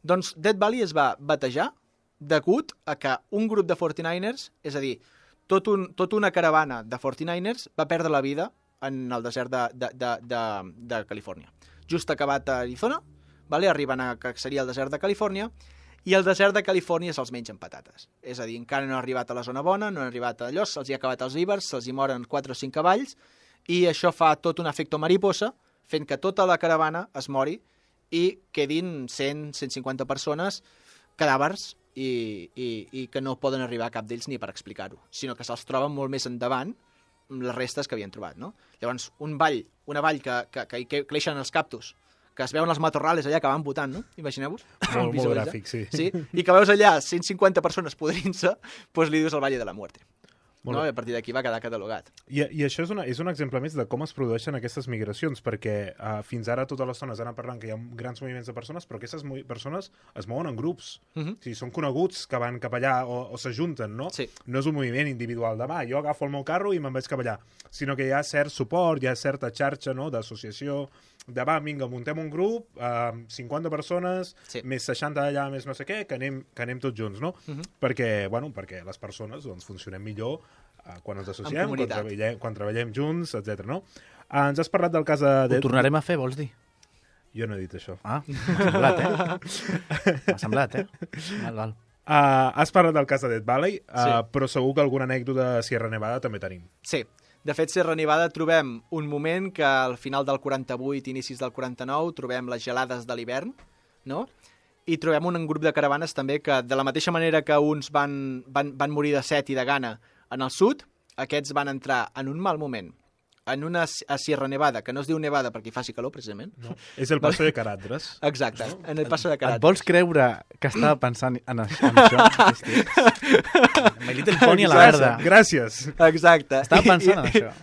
Doncs Death Valley es va batejar degut a que un grup de quaranta-niners, és a dir, tot un, tot una caravana de quaranta-niners va perdre la vida en el desert de, de, de, de, de Califòrnia. Just acabat a Arizona, vale? Arriben a que seria el desert de Califòrnia, i el desert de Califòrnia se'ls mengen patates. És a dir, encara no han arribat a la zona bona, no han arribat a allò, se'ls hi ha acabat els vívers, se'ls hi moren quatre o cinc cavalls, i això fa tot un efecte mariposa, fent que tota la caravana es mori i quedin cent a cent cinquanta persones, cadàvers, i, i, i que no poden arribar a cap d'ells ni per explicar-ho, sinó que se'ls troben molt més endavant les restes que havien trobat, no? Llavors, un vall, una vall que, que, que, que creixen els cactus, que es veuen els matorrales allà que van votant, no? Imagineu-vos. Molt, molt Visualitzar. gràfic, sí. Sí, i que veus allà cent cinquanta persones podrint-se, doncs li dius el Valle de la Muerte. Molt No? bé. I a partir d'aquí va quedar catalogat. I, I això és, una, és un exemple més de com es produeixen aquestes migracions, perquè uh, fins ara totes les zones han parlant que hi ha grans moviments de persones, però aquestes movi- persones es mouen en grups. Uh -huh. O sigui, són coneguts que van cap allà o, o s'ajunten, no? Sí. No és un moviment individual de, va, jo agafo el meu carro i me'n vaig cap allà, sinó que hi ha cert suport, hi ha certa xarxa, no?, d'associació, de va, vinga, muntem un grup, eh, cinquanta persones, Sí. més seixanta d'allà, més no sé què, que anem, que anem tots junts, no? Uh -huh. Perquè, bueno, perquè les persones doncs, funcionem millor eh, quan ens associem, quan comunitat. treballem, quan treballem junts, etcètera. No? Eh, ens has parlat del cas de... Ho tornarem a fer, vols dir? Jo no he dit això. Ah, m'ha semblat, eh? M'ha semblat, eh? Val, val. Uh, has parlat del cas de Death Valley, uh, Sí. però segur que alguna anècdota de Sierra Nevada també tenim. Sí. De fet, Sierra Nevada trobem un moment que al final del quaranta-vuit, inicis del quaranta-nou, trobem les gelades de l'hivern, no? I trobem un grup de caravanes també que, de la mateixa manera que uns van, van, van morir de set i de gana en el sud, aquests van entrar en un mal moment en una a Sierra Nevada, que no es diu Nevada perquè hi faci calor, precisament. No? És el passo de Caradres. Exacte, en el passo de Et Carat. vols creure que estava pensant en això? En això? Hosti. My Little Pony a la verda. Gràcies. Exacte. Estava pensant en això.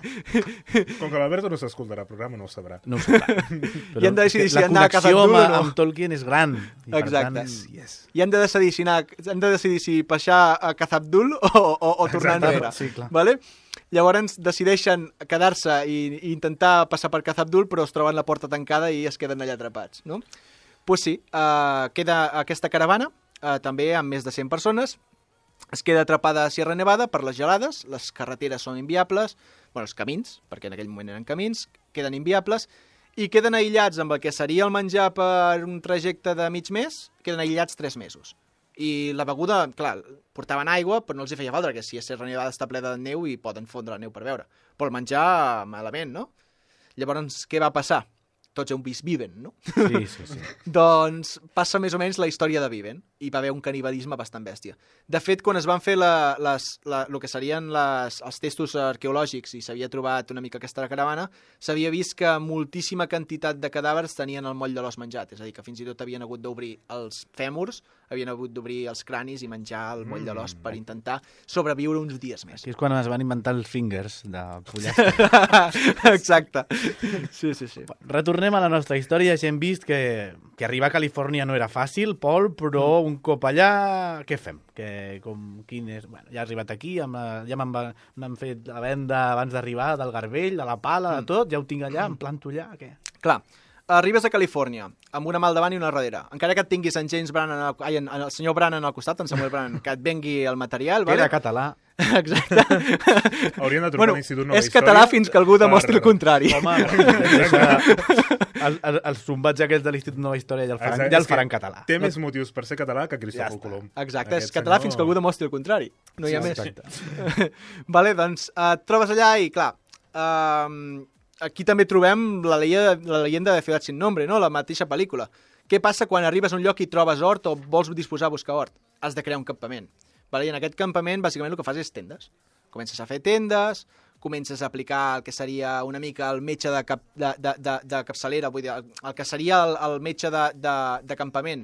Com que l'Alberto no s'escoltarà el programa, no ho sabrà. No ho sé. Però I hem de decidir si la anar a Casa connexió amb, Abdul o no. amb Tolkien és gran. I per Exacte. tant, yes. I hem de decidir si, anar, hem de decidir si passar a Cazabdul o, o, o tornar Exacte. enrere. Sí, clar. Vale? Llavors decideixen quedar-se i, i intentar passar per Cazabdul, però es troben la porta tancada i es queden allà atrapats, no? Pues sí, uh, queda aquesta caravana, uh, també amb més de cent persones, es queda atrapada a Sierra Nevada per les gelades, les carreteres són inviables, bueno, els camins, perquè en aquell moment eren camins, queden inviables, i queden aïllats amb el que seria el menjar per un trajecte de mig mes, queden aïllats tres mesos. I la beguda, clar, portaven aigua, però no els hi feia falta, perquè si a Sierra Nevada està ple de neu i poden fondre la neu per veure. Però el menjar, malament, no? Llavors, què va passar? tots heu vist Viven, no? Sí, sí, sí. Doncs passa més o menys la història de Viven, i va haver un canibalisme bastant bèstia. De fet, quan es van fer la, les, la, el que serien les, els testos arqueològics i s'havia trobat una mica aquesta caravana, s'havia vist que moltíssima quantitat de cadàvers tenien el moll de l'os menjat, és a dir, que fins i tot havien hagut d'obrir els fèmurs, havien hagut d'obrir els cranis i menjar el moll de l'os per intentar sobreviure uns dies més. Aquí és quan es van inventar els fingers de pollastre. Exacte. Sí, sí, sí. Retornem a la nostra història. Ja hem vist que, que arribar a Califòrnia no era fàcil, Pol, però un cop allà, què fem? Que, com, quin és? Bueno, ja he arribat aquí, amb la, ja m'han fet la venda abans d'arribar, del garbell, de la pala, de tot, ja ho tinc allà, em planto allà, què? Clar, arribes a Califòrnia amb una mà al davant i una al darrere. Encara que et tinguis en James Brannan, al, ai, en, en el senyor Brannan al costat, en Samuel Brannan, que et vengui el material, Que vale? era català. Exacte. Haurien de trobar Bueno, un institut Nova és Història català fins que algú demostri per- el contrari. Home, el, el, els zumbats aquests de l'Institut Nova Història ja el faran, Exacte, ja és el faran que català. Té més motius per ser català que Cristòfol Ja està. Colom. Exacte, és Aquest català senyor- fins que algú demostri el contrari. No hi ha Sí, més. exacte. Vale, doncs eh, et trobes allà i, clar, eh, aquí també trobem la leyenda, la leyenda de Ciudad sin nombre, no? La mateixa pel·lícula. Què passa quan arribes a un lloc i trobes hort o vols disposar a buscar hort? Has de crear un campament. Vale? I en aquest campament, bàsicament, el que fas és tendes. Comences a fer tendes, comences a aplicar el que seria una mica el metge de, cap, de, de, de, de capçalera, vull dir, el, el que seria el, el metge de, de, de campament.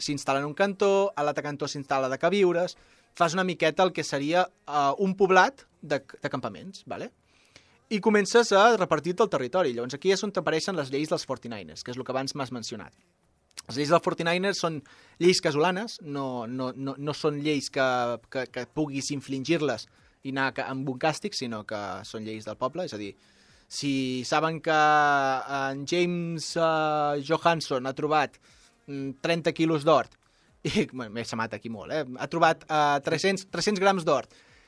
S'instal·la en un cantó, a l'altre cantó s'instal·la de queviures, fas una miqueta el que seria uh, un poblat de, de campaments, vale? I comences a repartir-te el territori. Llavors aquí és on t'apareixen les lleis dels quaranta-niners, que és el que abans m'has mencionat. Les lleis dels quaranta-niners són lleis casolanes, no, no, no, no són lleis que, que, que puguis infligir-les i anar amb un càstig, sinó que són lleis del poble, és a dir, si saben que en James uh, Johansson ha trobat mm, trenta quilos d'or, i bueno, m'he semat aquí molt, eh? Ha trobat uh, tres-cents, tres-cents grams d'or,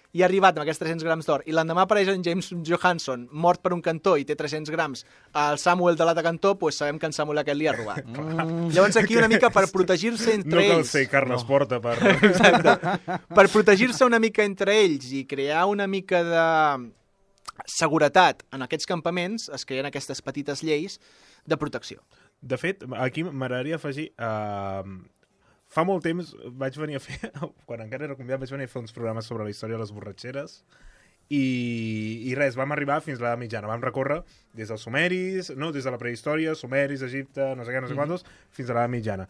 i ha arribat amb aquests tres-cents grams d'or, i l'endemà apareix en James Johansson mort per un cantó i té tres-cents grams al Samuel de l'altre cantó, doncs sabem que en Samuel aquest li ha robat. Mm. Llavors aquí una mica per protegir-se entre No cal ells... ser Carles no. Porta per... Exacte. Per protegir-se una mica entre ells i crear una mica de seguretat en aquests campaments, es creen aquestes petites lleis de protecció. De fet, aquí m'agradaria afegir... Uh, fa molt temps vaig venir a fer, quan encara era convidat, vaig venir a fer uns programes sobre la història de les borratxeres i, i res, vam arribar fins a l'edat mitjana. Vam recórrer des dels sumeris, no, des de la prehistòria, sumeris, Egipte, no sé què, no sé mm-hmm. quantos, fins a l'edat mitjana.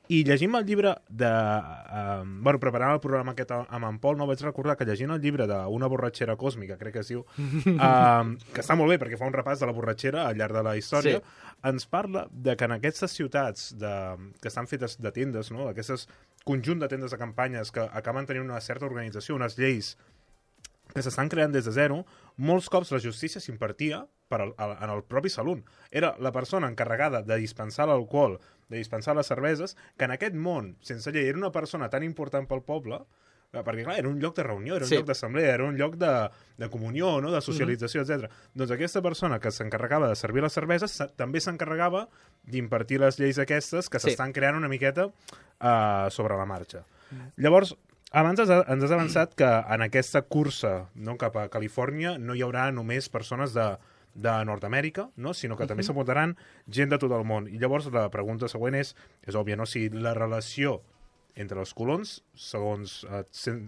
I llegint el llibre de... Uh, bueno, preparant el programa aquest amb en Pol, no vaig recordar que llegint el llibre d'Una borratxera còsmica, crec que es diu, uh, que està molt bé perquè fa un repàs de la borratxera al llarg de la història, sí. Ens parla de que en aquestes ciutats de, que estan fetes de tendes, no? Aquestes conjunt de tendes de campanyes que acaben tenint una certa organització, unes lleis que s'estan creant des de zero, molts cops la justícia s'impartia per al, al, en el propi salon. Era la persona encarregada de dispensar l'alcohol, de dispensar les cerveses, que en aquest món, sense llei, era una persona tan important pel poble, perquè clar, era un lloc de reunió, era un sí. lloc d'assemblea, era un lloc de, de comunió, no? De socialització, mm-hmm. etcètera. Doncs aquesta persona que s'encarregava de servir les cerveses també s'encarregava d'impartir les lleis aquestes que s'estan sí. creant una miqueta uh, sobre la marxa. Mm. Llavors, abans ens has avançat que en aquesta cursa, no, cap a Califòrnia no hi haurà només persones de, de Nord-Amèrica, no? Sinó que uh-huh. també s'apuntaran gent de tot el món. I llavors la pregunta següent és, és òbvia, no? Si la relació entre els colons, segons, eh, sen,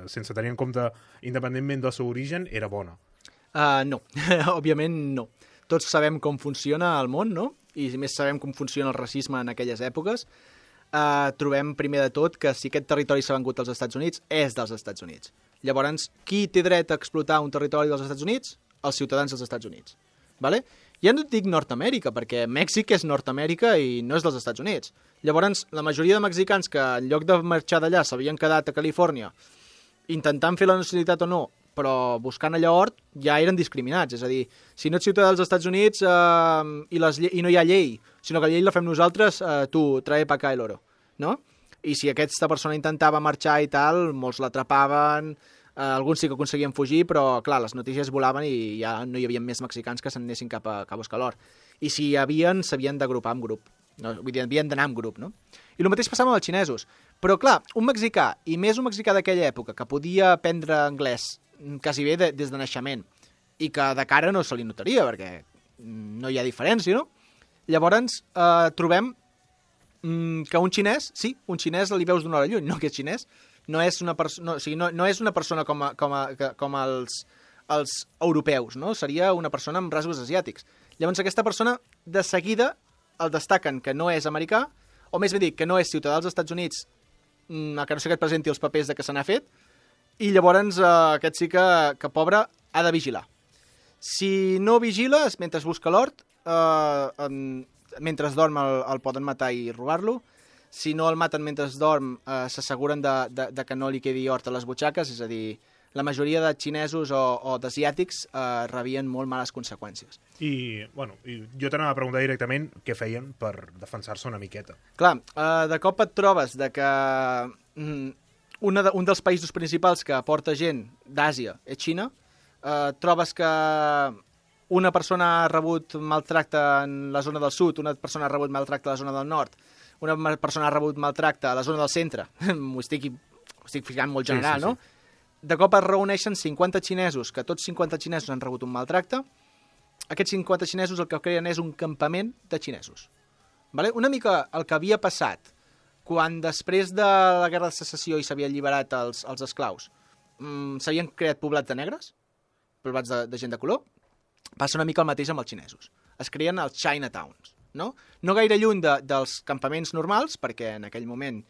sense tenir en compte independentment del seu origen, era bona. Uh, no, òbviament no. Tots sabem com funciona el món, no? I més sabem com funciona el racisme en aquelles èpoques. Uh, trobem primer de tot que si aquest territori s'ha vengut als Estats Units, és dels Estats Units. Llavors, qui té dret a explotar un territori dels Estats Units? Els ciutadans dels Estats Units. Vale? Ja no et dic Nord-Amèrica, perquè Mèxic és Nord-Amèrica i no és dels Estats Units. Llavors, la majoria de mexicans que en lloc de marxar d'allà s'havien quedat a Califòrnia intentant fer la nacionalitat o no, però buscant allà hort, ja eren discriminats. És a dir, si no ets ciutadà dels Estats Units eh, i, les, i no hi ha llei, sinó que la llei la fem nosaltres, eh, tu, trae pa acá el oro, no? I si aquesta persona intentava marxar i tal, molts l'atrapaven, eh, alguns sí que aconseguien fugir, però, clar, les notícies volaven i ja no hi havia més mexicans que s'anessin cap a, cap a buscar l'or. I si hi havien, s'havien d'agrupar en grup. No? Vull dir, havien d'anar en grup, no? I el mateix passava amb els xinesos. Però, clar, un mexicà, i més un mexicà d'aquella època, que podia aprendre anglès quasi bé de, des de naixement, i que de cara no se li notaria, perquè no hi ha diferència, no? Llavors, eh, trobem mm, que un xinès, sí, un xinès li veus d'una hora lluny, no que és xinès, no és una, perso no, o sigui, no, no és una persona com, a, com, a, com els, els europeus, no? Seria una persona amb rasgos asiàtics. Llavors, aquesta persona, de seguida, el destaquen que no és americà, o més ben dit, que no és ciutadà dels Estats Units, mm, que no sé que et presenti els papers de que se n'ha fet, i llavors eh, aquest sí que, que pobre, ha de vigilar. Si no vigila, mentre busca l'hort, eh, mentre dorm el, el poden matar i robar-lo. Si no el maten mentre dorm, eh, s'asseguren de, de, de que no li quedi hort a les butxaques, és a dir, la majoria de xinesos o, o d'asiàtics eh, rebien molt males conseqüències. I, bueno, i jo t'anava a preguntar directament què feien per defensar-se una miqueta. Clar, eh, de cop et trobes de que mm, una de, un dels països principals que aporta gent d'Àsia és Xina, eh, trobes que una persona ha rebut maltracte en la zona del sud, una persona ha rebut maltracte a la zona del nord, una persona ha rebut maltracte a la zona del centre, m'ho estic, estic ficant molt general, sí, sí, sí. no? De cop es reuneixen cinquanta xinesos, que tots cinquanta xinesos han rebut un maltracte. Aquests cinquanta xinesos el que creen és un campament de xinesos. Vale? Una mica el que havia passat quan després de la Guerra de Secessió i s'havia alliberat els, els esclaus, mmm, s'havien creat poblats de negres, poblats de, de gent de color, passa una mica el mateix amb els xinesos. Es creen els Chinatowns, no? No gaire lluny de, dels campaments normals, perquè en aquell moment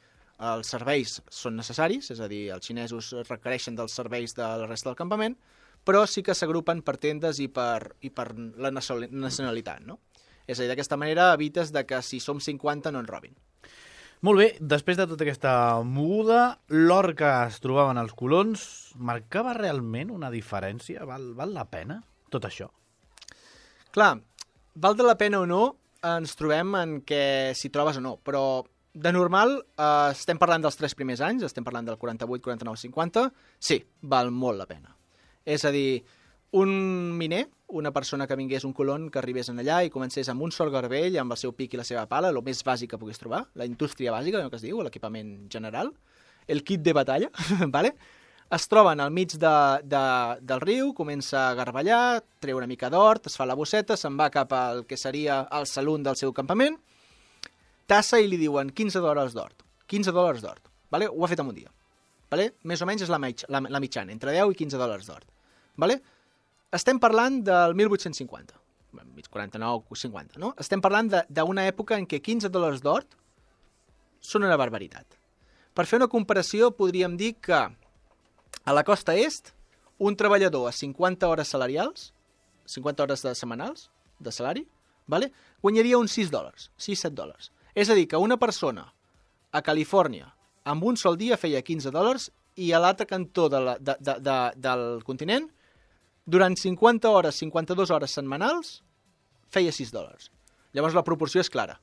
els serveis són necessaris, és a dir, els xinesos requereixen dels serveis de la resta del campament, però sí que s'agrupen per tendes i per, i per la nacionalitat, no? És a dir, d'aquesta manera evites de que si som cinquanta no ens robin. Molt bé, després de tota aquesta moguda, l'or que es trobaven als colons marcava realment una diferència? Val, val la pena tot això? Clar, val de la pena o no, ens trobem en què si trobes o no, però de normal, eh, estem parlant dels tres primers anys, estem parlant del quaranta-vuit, quaranta-nou, cinquanta, sí, val molt la pena. És a dir, un miner, una persona que vingués un colon, que arribés en allà i comencés amb un sol garbell, amb el seu pic i la seva pala, el més bàsic que pogués trobar, la indústria bàsica, el que es diu, l'equipament general, el kit de batalla, vale? Es troben al mig de, de, del riu, comença a garballar, treu una mica d'hort, es fa la bosseta, se'n va cap al que seria el salón del seu campament, tassa i li diuen quinze dòlars d'hort. quinze dòlars d'hort. Vale? Ho ha fet en un dia. Vale? Més o menys és la, mitj la, la mitjana, entre deu i quinze dòlars d'hort. Vale? Estem parlant del mil vuit-cents cinquanta. quaranta-nou, cinquanta, no? Estem parlant d'una època en què quinze dòlars d'hort són una barbaritat. Per fer una comparació, podríem dir que a la costa est, un treballador a cinquanta hores salarials, cinquanta hores de setmanals de salari, vale? Guanyaria uns sis dòlars, sis set dòlars. És a dir, que una persona a Califòrnia amb un sol dia feia quinze dòlars i a l'altre cantó de la, de, de, de, del continent, durant cinquanta hores, cinquanta-dues hores setmanals, feia sis dòlars. Llavors la proporció és clara.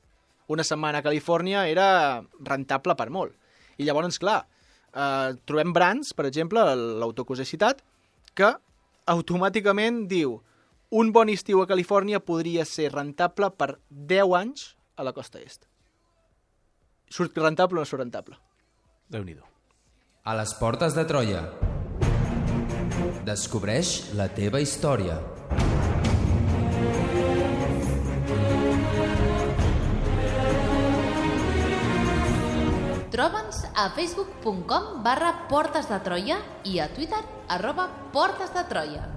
Una setmana a Califòrnia era rentable per molt. I llavors, clar, eh, trobem Brands, per exemple, l'autor que us he citat, que automàticament diu un bon estiu a Califòrnia podria ser rentable per deu anys a la costa est. Surt rentable o no surt rentable? Déu-n'hi-do. A les portes de Troia. Descobreix la teva història. Troba'ns a facebook punt com barra Portes de Troia i a Twitter arroba Portes de Troia.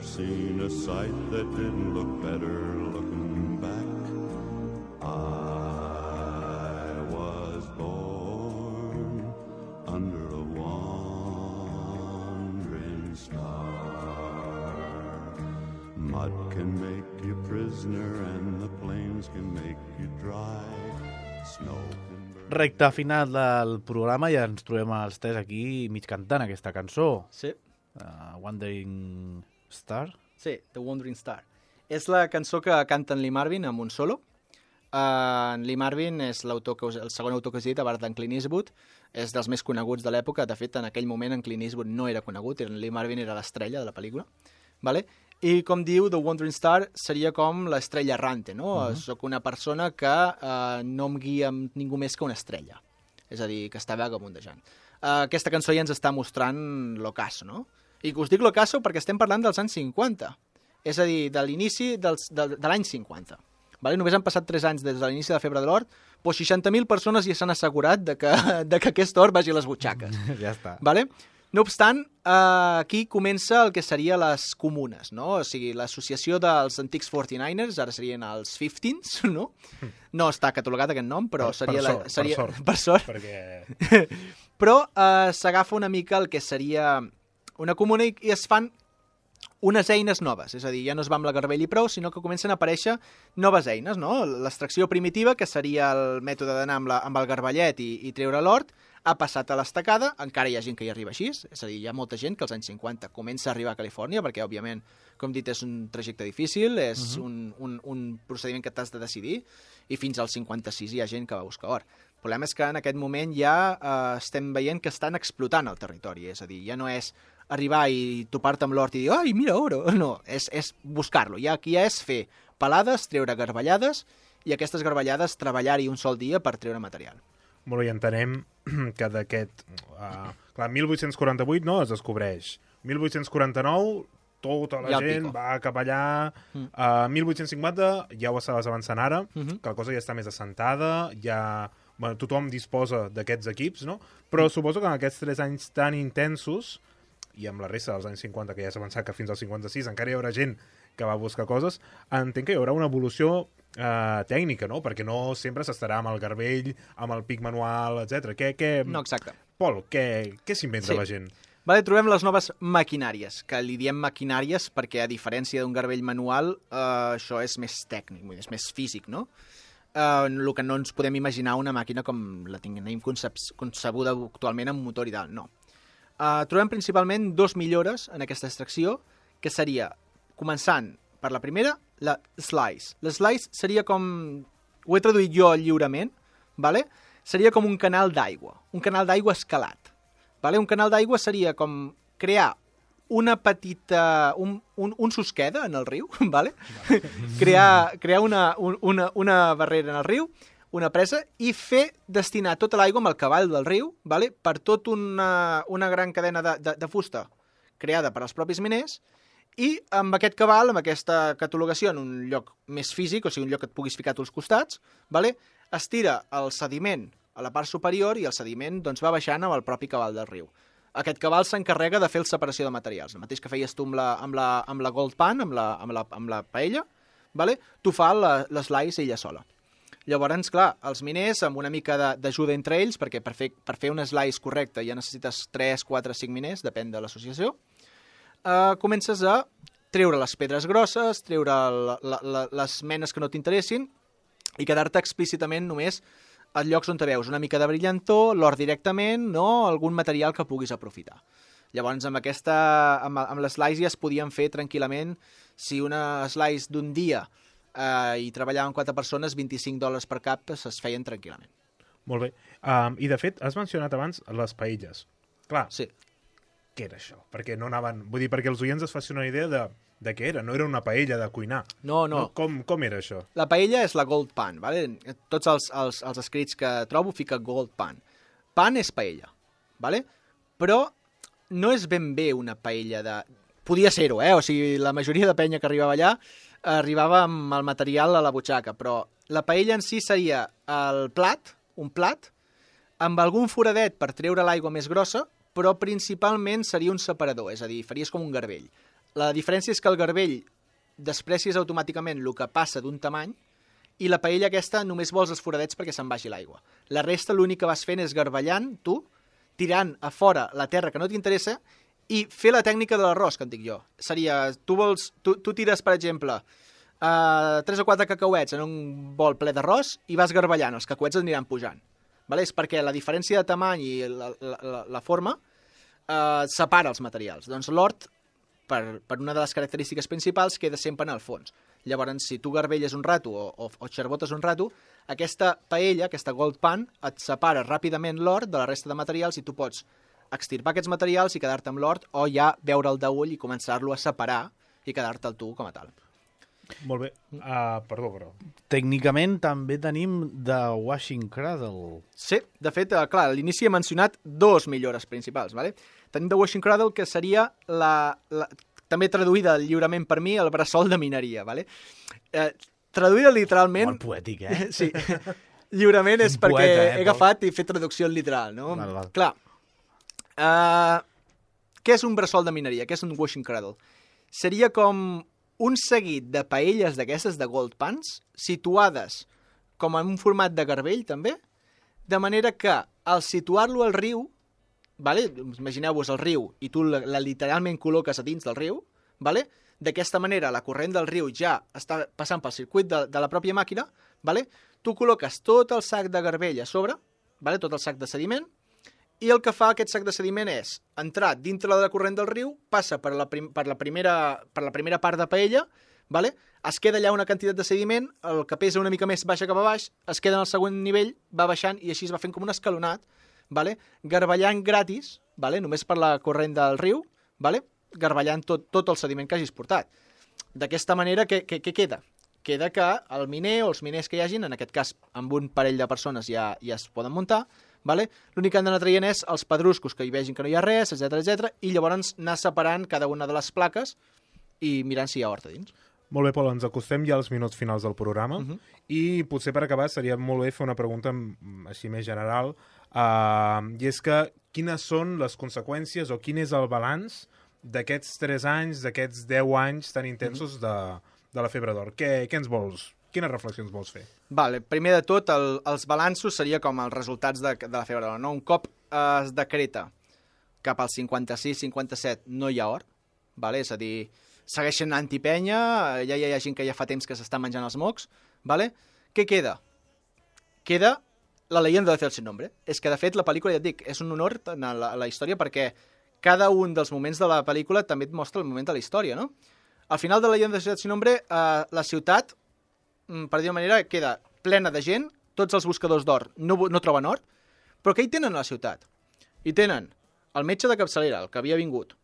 Seen a sight that didn't look better looking back. I was born under a wandering star. Mud can make you prisoner and the plains can make you dry. Snow can burn Recte final del programa i ens trobem els tres aquí mig cantant aquesta cançó. Sí. Uh, Wandering Star. Sí, The Wandering Star. És la cançó que canta en Lee Marvin amb un solo. Uh, en Lee Marvin és l'autor que us, el segon autor que us he dit, a part d'en Clint Eastwood. És dels més coneguts de l'època. De fet, en aquell moment en Clint Eastwood no era conegut, en Lee Marvin era l'estrella de la pel·lícula. Vale? I com diu, The Wandering Star seria com l'estrella errante, no? Uh -huh. Soc una persona que uh, no em guia amb ningú més que una estrella. És a dir, que està vagabundejant. Uh, aquesta cançó ja ens està mostrant l'ocaso, no? I us dic l'ocaso perquè estem parlant dels anys cinquanta. És a dir, de l'inici de, de l'any cinquanta. Vale? Només han passat tres anys des de l'inici de la febre de l'or, però seixanta mil persones ja s'han assegurat de que, de que aquest or vagi a les butxaques. Ja està. Vale? No obstant, eh, aquí comença el que seria les comunes, no? O sigui, l'associació dels antics quaranta-niners, ara serien els fifteens, no? No està catalogat aquest nom, però per, seria... Per la, sort, seria, per sort. Per sort. Perquè... Però eh, s'agafa una mica el que seria una comuna i, i es fan unes eines noves, és a dir, ja no es va amb la garbell i prou, sinó que comencen a aparèixer noves eines, no? L'extracció primitiva, que seria el mètode d'anar amb, la, amb el garbellet i, i treure l'hort, ha passat a l'estacada, encara hi ha gent que hi arriba així, és a dir, hi ha molta gent que als anys cinquanta comença a arribar a Califòrnia, perquè, òbviament, com dit, és un trajecte difícil, és uh -huh. un, un, un procediment que t'has de decidir, i fins al cinquanta-sis hi ha gent que va buscar or. El problema és que en aquest moment ja eh, estem veient que estan explotant el territori, és a dir, ja no és arribar i topar-te amb l'hort i dir, ai, mira, oro, no, és, és buscar-lo, ja, aquí ja és fer pelades, treure garbellades, i aquestes garbellades treballar-hi un sol dia per treure material. Molt bé, entenem que d'aquest... Uh, clar, mil vuit-cents quaranta-vuit no es descobreix. mil vuit-cents quaranta-nou tota la Ja gent pico. va cap allà. Mm. Uh, mil vuit-cents cinquanta ja ho estaves avançant ara, Mm -hmm. que la cosa ja està més assentada, ja... Bueno, tothom disposa d'aquests equips, no? Però mm. suposo que en aquests tres anys tan intensos, i amb la resta dels anys cinquanta, que ja s'ha avançat que fins al cinquanta-sis encara hi haurà gent que va buscar coses, entenc que hi haurà una evolució eh, tècnica, no? Perquè no sempre s'estarà amb el garbell, amb el pic manual, etcètera. Què, què... No, exacte. Pol, què, què s'inventa Sí. la gent? Vale, trobem les noves maquinàries, que li diem maquinàries perquè, a diferència d'un garbell manual, eh, això és més tècnic, vull dir, és més físic, no? Eh, el que no ens podem imaginar una màquina com la tenim concebuda actualment amb motor i tal, no. Uh, trobem principalment dos millores en aquesta extracció, que seria, començant per la primera, la slice. La slice seria com, ho he traduït jo lliurement, vale? Seria com un canal d'aigua, un canal d'aigua escalat. Vale? Un canal d'aigua seria com crear una petita... un, un, un susqueda en el riu, vale? crear crear una, una, una barrera en el riu, una presa, i fer destinar tota l'aigua amb el cavall del riu, vale? Per tot una, una gran cadena de, de, de fusta creada per als propis miners, i amb aquest cabal, amb aquesta catalogació en un lloc més físic, o sigui, un lloc que et puguis ficar a tots costats, vale? Es tira el sediment a la part superior i el sediment doncs, va baixant amb el propi cabal del riu. Aquest cabal s'encarrega de fer la separació de materials. El mateix que feies tu amb la, amb la, amb la Gold Pan, amb la, amb la, amb la paella, vale? Tu fa l'eslice ella sola. Llavors, clar, els miners, amb una mica d'ajuda entre ells, perquè per fer, per fer un slice correcte ja necessites tres, quatre, cinc miners, depèn de l'associació, eh, comences a treure les pedres grosses, treure la, la, la, les menes que no t'interessin i quedar-te explícitament només a llocs on te veus una mica de brillantor, l'or directament, no? Algun material que puguis aprofitar. Llavors, amb, aquesta, amb, amb l'eslice ja es podien fer tranquil·lament, si una slice d'un dia eh, i treballaven quatre persones, vint-i-cinc dòlars per cap es feien tranquil·lament. Molt bé. Um, I, de fet, has mencionat abans les paelles. Clar, Sí. què era això? Perquè no anaven... Vull dir, perquè els oients es facin una idea de, de què era. No era una paella de cuinar. No, no. Com, com era això? La paella és la Gold Pan, ¿vale? Tots els, els, els escrits que trobo fica Gold Pan. Pan és paella, ¿vale? Però no és ben bé una paella de... Podia ser-ho, eh? O sigui, la majoria de penya que arribava allà arribava amb el material a la butxaca, però la paella en si seria el plat, un plat, amb algun foradet per treure l'aigua més grossa, però principalment seria un separador, és a dir, faries com un garbell. La diferència és que el garbell desprecies automàticament el que passa d'un tamany i la paella aquesta només vols els foradets perquè se'n vagi l'aigua. La resta l'únic que vas fent és garbellant, tu, tirant a fora la terra que no t'interessa i fer la tècnica de l'arròs, que en dic jo. Seria, tu, vols, tu, tu tires, per exemple, uh, tres o quatre cacauets en un bol ple d'arròs i vas garbellant, els cacauets aniran pujant. vale? És perquè la diferència de tamany i la, la, la, la forma eh, separa els materials. Doncs l'hort, per, per una de les característiques principals, queda sempre en el fons. Llavors, si tu garbelles un rato o, o, o xerbotes un rato, aquesta paella, aquesta gold pan, et separa ràpidament l'hort de la resta de materials i tu pots extirpar aquests materials i quedar-te amb l'hort o ja veure'l d'ull i començar-lo a separar i quedar-te'l tu com a tal. Molt bé. Uh, perdó, però... Tècnicament també tenim The Washing Cradle. Sí, de fet, eh, clar, a l'inici he mencionat dos millores principals, ¿vale? Tenim The Washing Cradle, que seria la, la, també traduïda lliurement per mi, el bressol de mineria, ¿vale? Eh, traduïda literalment... Molt poètic, eh? Sí. Lliurement és Un perquè poeta, eh, he agafat i fet traducció literal, no? Val, val. Clar. Uh, què és un bressol de mineria? Què és un washing cradle? Seria com un seguit de paelles d'aquestes de gold pans situades com en un format de garbell, també, de manera que al situar-lo al riu, vale? Imagineu-vos el riu i tu la, la literalment col·loques a dins del riu, vale? D'aquesta manera la corrent del riu ja està passant pel circuit de, de la pròpia màquina, vale? Tu col·loques tot el sac de garbell a sobre, vale? Tot el sac de sediment, i el que fa aquest sac de sediment és entrar dintre de la corrent del riu, passa per la, prim, per la, primera, per la primera part de paella, vale? Es queda allà una quantitat de sediment, el que pesa una mica més baixa cap a baix, es queda en el següent nivell, va baixant i així es va fent com un escalonat, vale? Garballant gratis, vale? Només per la corrent del riu, vale? Garballant tot, tot el sediment que hagis portat. D'aquesta manera, què, què, què queda? Queda que el miner o els miners que hi hagin, en aquest cas amb un parell de persones ja, ja es poden muntar, vale? L'únic que han d'anar traient és els pedruscos que hi vegin que no hi ha res, etcètera etcètera, i llavors anar separant cada una de les plaques i mirant si hi ha hort a dins. Molt bé, Pol, ens acostem ja als minuts finals del programa Uh -huh. i potser per acabar seria molt bé fer una pregunta així més general, uh, i és que quines són les conseqüències o quin és el balanç d'aquests tres anys, d'aquests deu anys tan intensos uh -huh. de, de la febre d'or? Què, què ens vols? Quines reflexions vols fer? Vale, primer de tot, el, els balanços seria com els resultats de, de la febre d'or, no? Un cop eh, es decreta cap al cinquanta-sis cinquanta-set no hi ha or, vale? És a dir, segueixen antipenya, ja hi ha gent que ja fa temps que s'està menjant els mocs, vale? Què queda? Queda la leyenda de Celso Nombre. És que, de fet, la pel·lícula, ja et dic, és un honor a la, a la història perquè cada un dels moments de la pel·lícula també et mostra el moment de la història, no? Al final de la leyenda de Celso Nombre, eh, la ciutat, per dir-ho manera, queda plena de gent, tots els buscadors d'or no, no troben or, però què hi tenen a la ciutat? Hi tenen el metge de capçalera, el que havia vingut,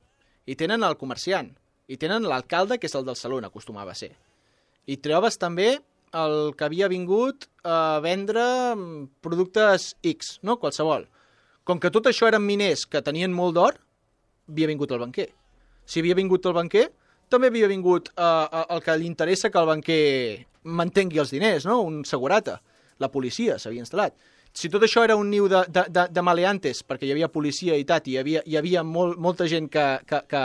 hi tenen el comerciant, hi tenen l'alcalde, que és el del saló, acostumava a ser. Hi trobes també el que havia vingut a vendre productes X, no? Qualsevol. Com que tot això eren miners que tenien molt d'or, havia vingut el banquer. Si havia vingut el banquer, també havia vingut eh, el que li interessa que el banquer mantengui els diners, no? Un segurata. La policia s'havia instal·lat. Si tot això era un niu de, de, de, de maleantes, perquè hi havia policia i tal, i hi havia, hi havia molt, molta gent que, que, que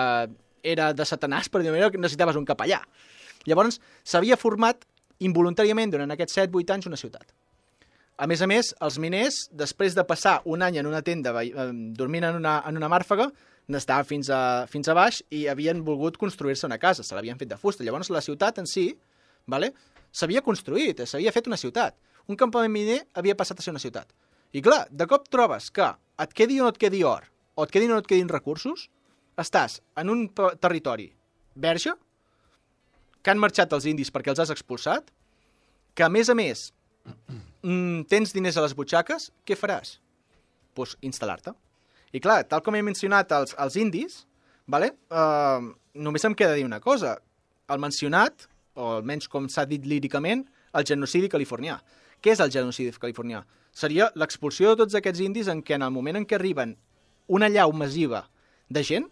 era de satanàs, per dir-ho manera, que necessitaves un capellà. Llavors, s'havia format involuntàriament durant aquests set vuit anys una ciutat. A més a més, els miners, després de passar un any en una tenda eh, dormint en una, en una màrfaga, n'estaven fins a, fins a baix i havien volgut construir-se una casa, se l'havien fet de fusta. Llavors, la ciutat en si, vale, s'havia construït, s'havia fet una ciutat. Un campament miner havia passat a ser una ciutat. I clar, de cop trobes que et quedi o no et quedi or, o et quedin o no et quedin recursos, estàs en un territori verge, que han marxat els indis perquè els has expulsat, que a més a més mm, tens diners a les butxaques, què faràs? Doncs pues, instal·lar-te. I clar, tal com he mencionat els, els indis, vale? uh, només em queda dir una cosa. El mencionat, o almenys com s'ha dit líricament, el genocidi californià. Què és el genocidi californià? Seria l'expulsió de tots aquests indis en què en el moment en què arriben una llau massiva de gent,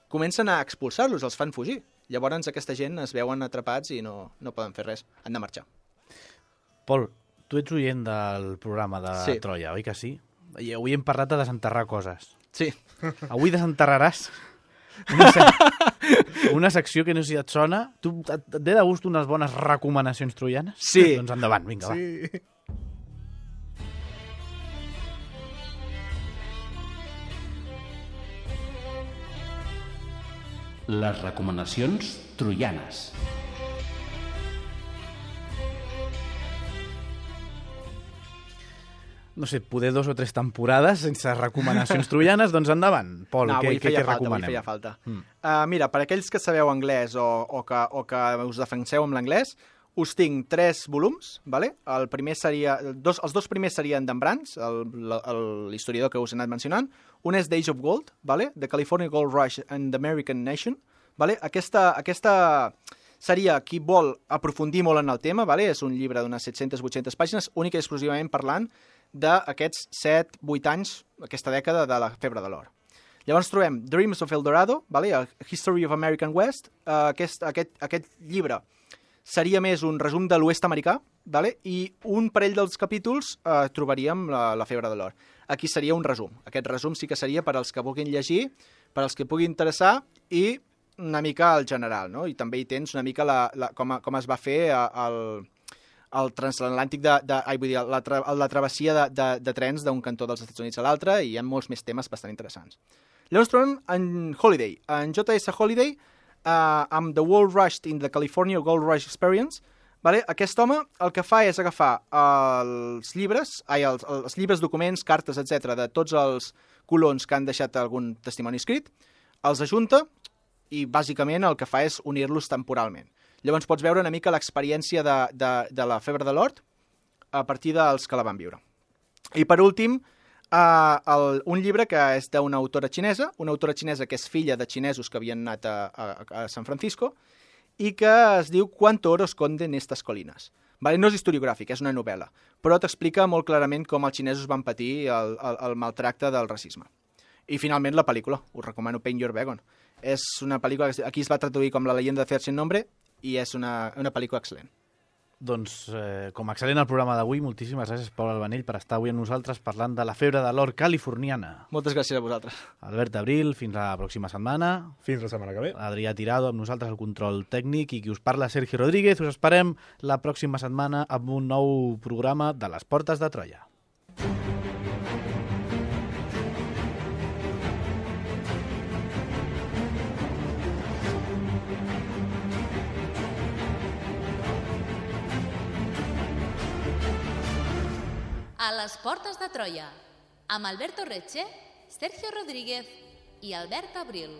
comencen a expulsar-los, els fan fugir. Llavors aquesta gent es veuen atrapats i no, no poden fer res, han de marxar. Pol, tu ets oient del programa de sí. Troia, oi que sí? I avui hem parlat de desenterrar coses. Sí. Avui desenterraràs una, sec... una secció que no sé si et sona. Tu et, et ve de gust unes bones recomanacions troianes? Sí. Doncs endavant, vinga, sí. va. Les recomanacions troianes. no sé, poder dos o tres temporades sense recomanacions troianes, doncs endavant. Pol, no, què, què, què falta, recomanem? Avui feia falta. Mm. Uh, mira, per aquells que sabeu anglès o, o, que, o que us defenseu amb l'anglès, us tinc tres volums, vale? El primer seria, dos, els dos primers serien d'en Brands, l'historiador que us he anat mencionant. Un és d'Age of Gold, vale? The California Gold Rush and the American Nation. Vale? Aquesta, aquesta seria qui vol aprofundir molt en el tema, vale? És un llibre d'unes set-centes vuit-centes pàgines, única i exclusivament parlant d'aquests set vuit anys, aquesta dècada de la febre de l'or. Llavors trobem Dreams of El Dorado, vale? A History of American West. Uh, aquest, aquest, aquest llibre seria més un resum de l'oest americà, vale? I un parell dels capítols uh, trobaríem la, la febre de l'or. Aquí seria un resum. Aquest resum sí que seria per als que vulguin llegir, per als que pugui interessar i una mica al general, no? I també hi tens una mica la, la, com, a, com es va fer el... el transatlàntic de, de, ai, vull dir, la, tra, la travessia de, de, de trens d'un cantó dels Estats Units a l'altre, i hi ha molts més temes bastant interessants. Llavors trobem en Holiday, en J S Holiday, uh, amb The World Rush in the California Gold Rush Experience. Vale? Aquest home el que fa és agafar els llibres, ai, els, els llibres, documents, cartes, etcètera, de tots els colons que han deixat algun testimoni escrit, els ajunta i bàsicament el que fa és unir-los temporalment. Llavors pots veure una mica l'experiència de, de, de la febre de l'or a partir dels que la van viure. I per últim, uh, el, un llibre que és d'una autora xinesa, una autora xinesa que és filla de xinesos que havien anat a, a, a San Francisco, i que es diu Cuánto oro esconden estas colinas. Vale? No és historiogràfic, és una novel·la, però t'explica molt clarament com els xinesos van patir el, el, el maltracte del racisme. I finalment la pel·lícula, us recomano Paint Your Wagon. És una pel·lícula que aquí es va traduir com La leyenda de Fer sin nombre, i és una, una pel·lícula excel·lent. Doncs, eh, com a excel·lent el programa d'avui, moltíssimes gràcies, Pol Albanell, per estar avui amb nosaltres parlant de la febre de l'or californiana. Moltes gràcies a vosaltres. Albert Abril, fins la pròxima setmana. Fins la setmana que ve. Adrià Tirado amb nosaltres al control tècnic, i qui us parla, Sergi Rodríguez. Us esperem la pròxima setmana amb un nou programa de les Portes de Troia. A les Portes de Troia, amb Alberto Reche, Sergio Rodríguez i Albert Abril.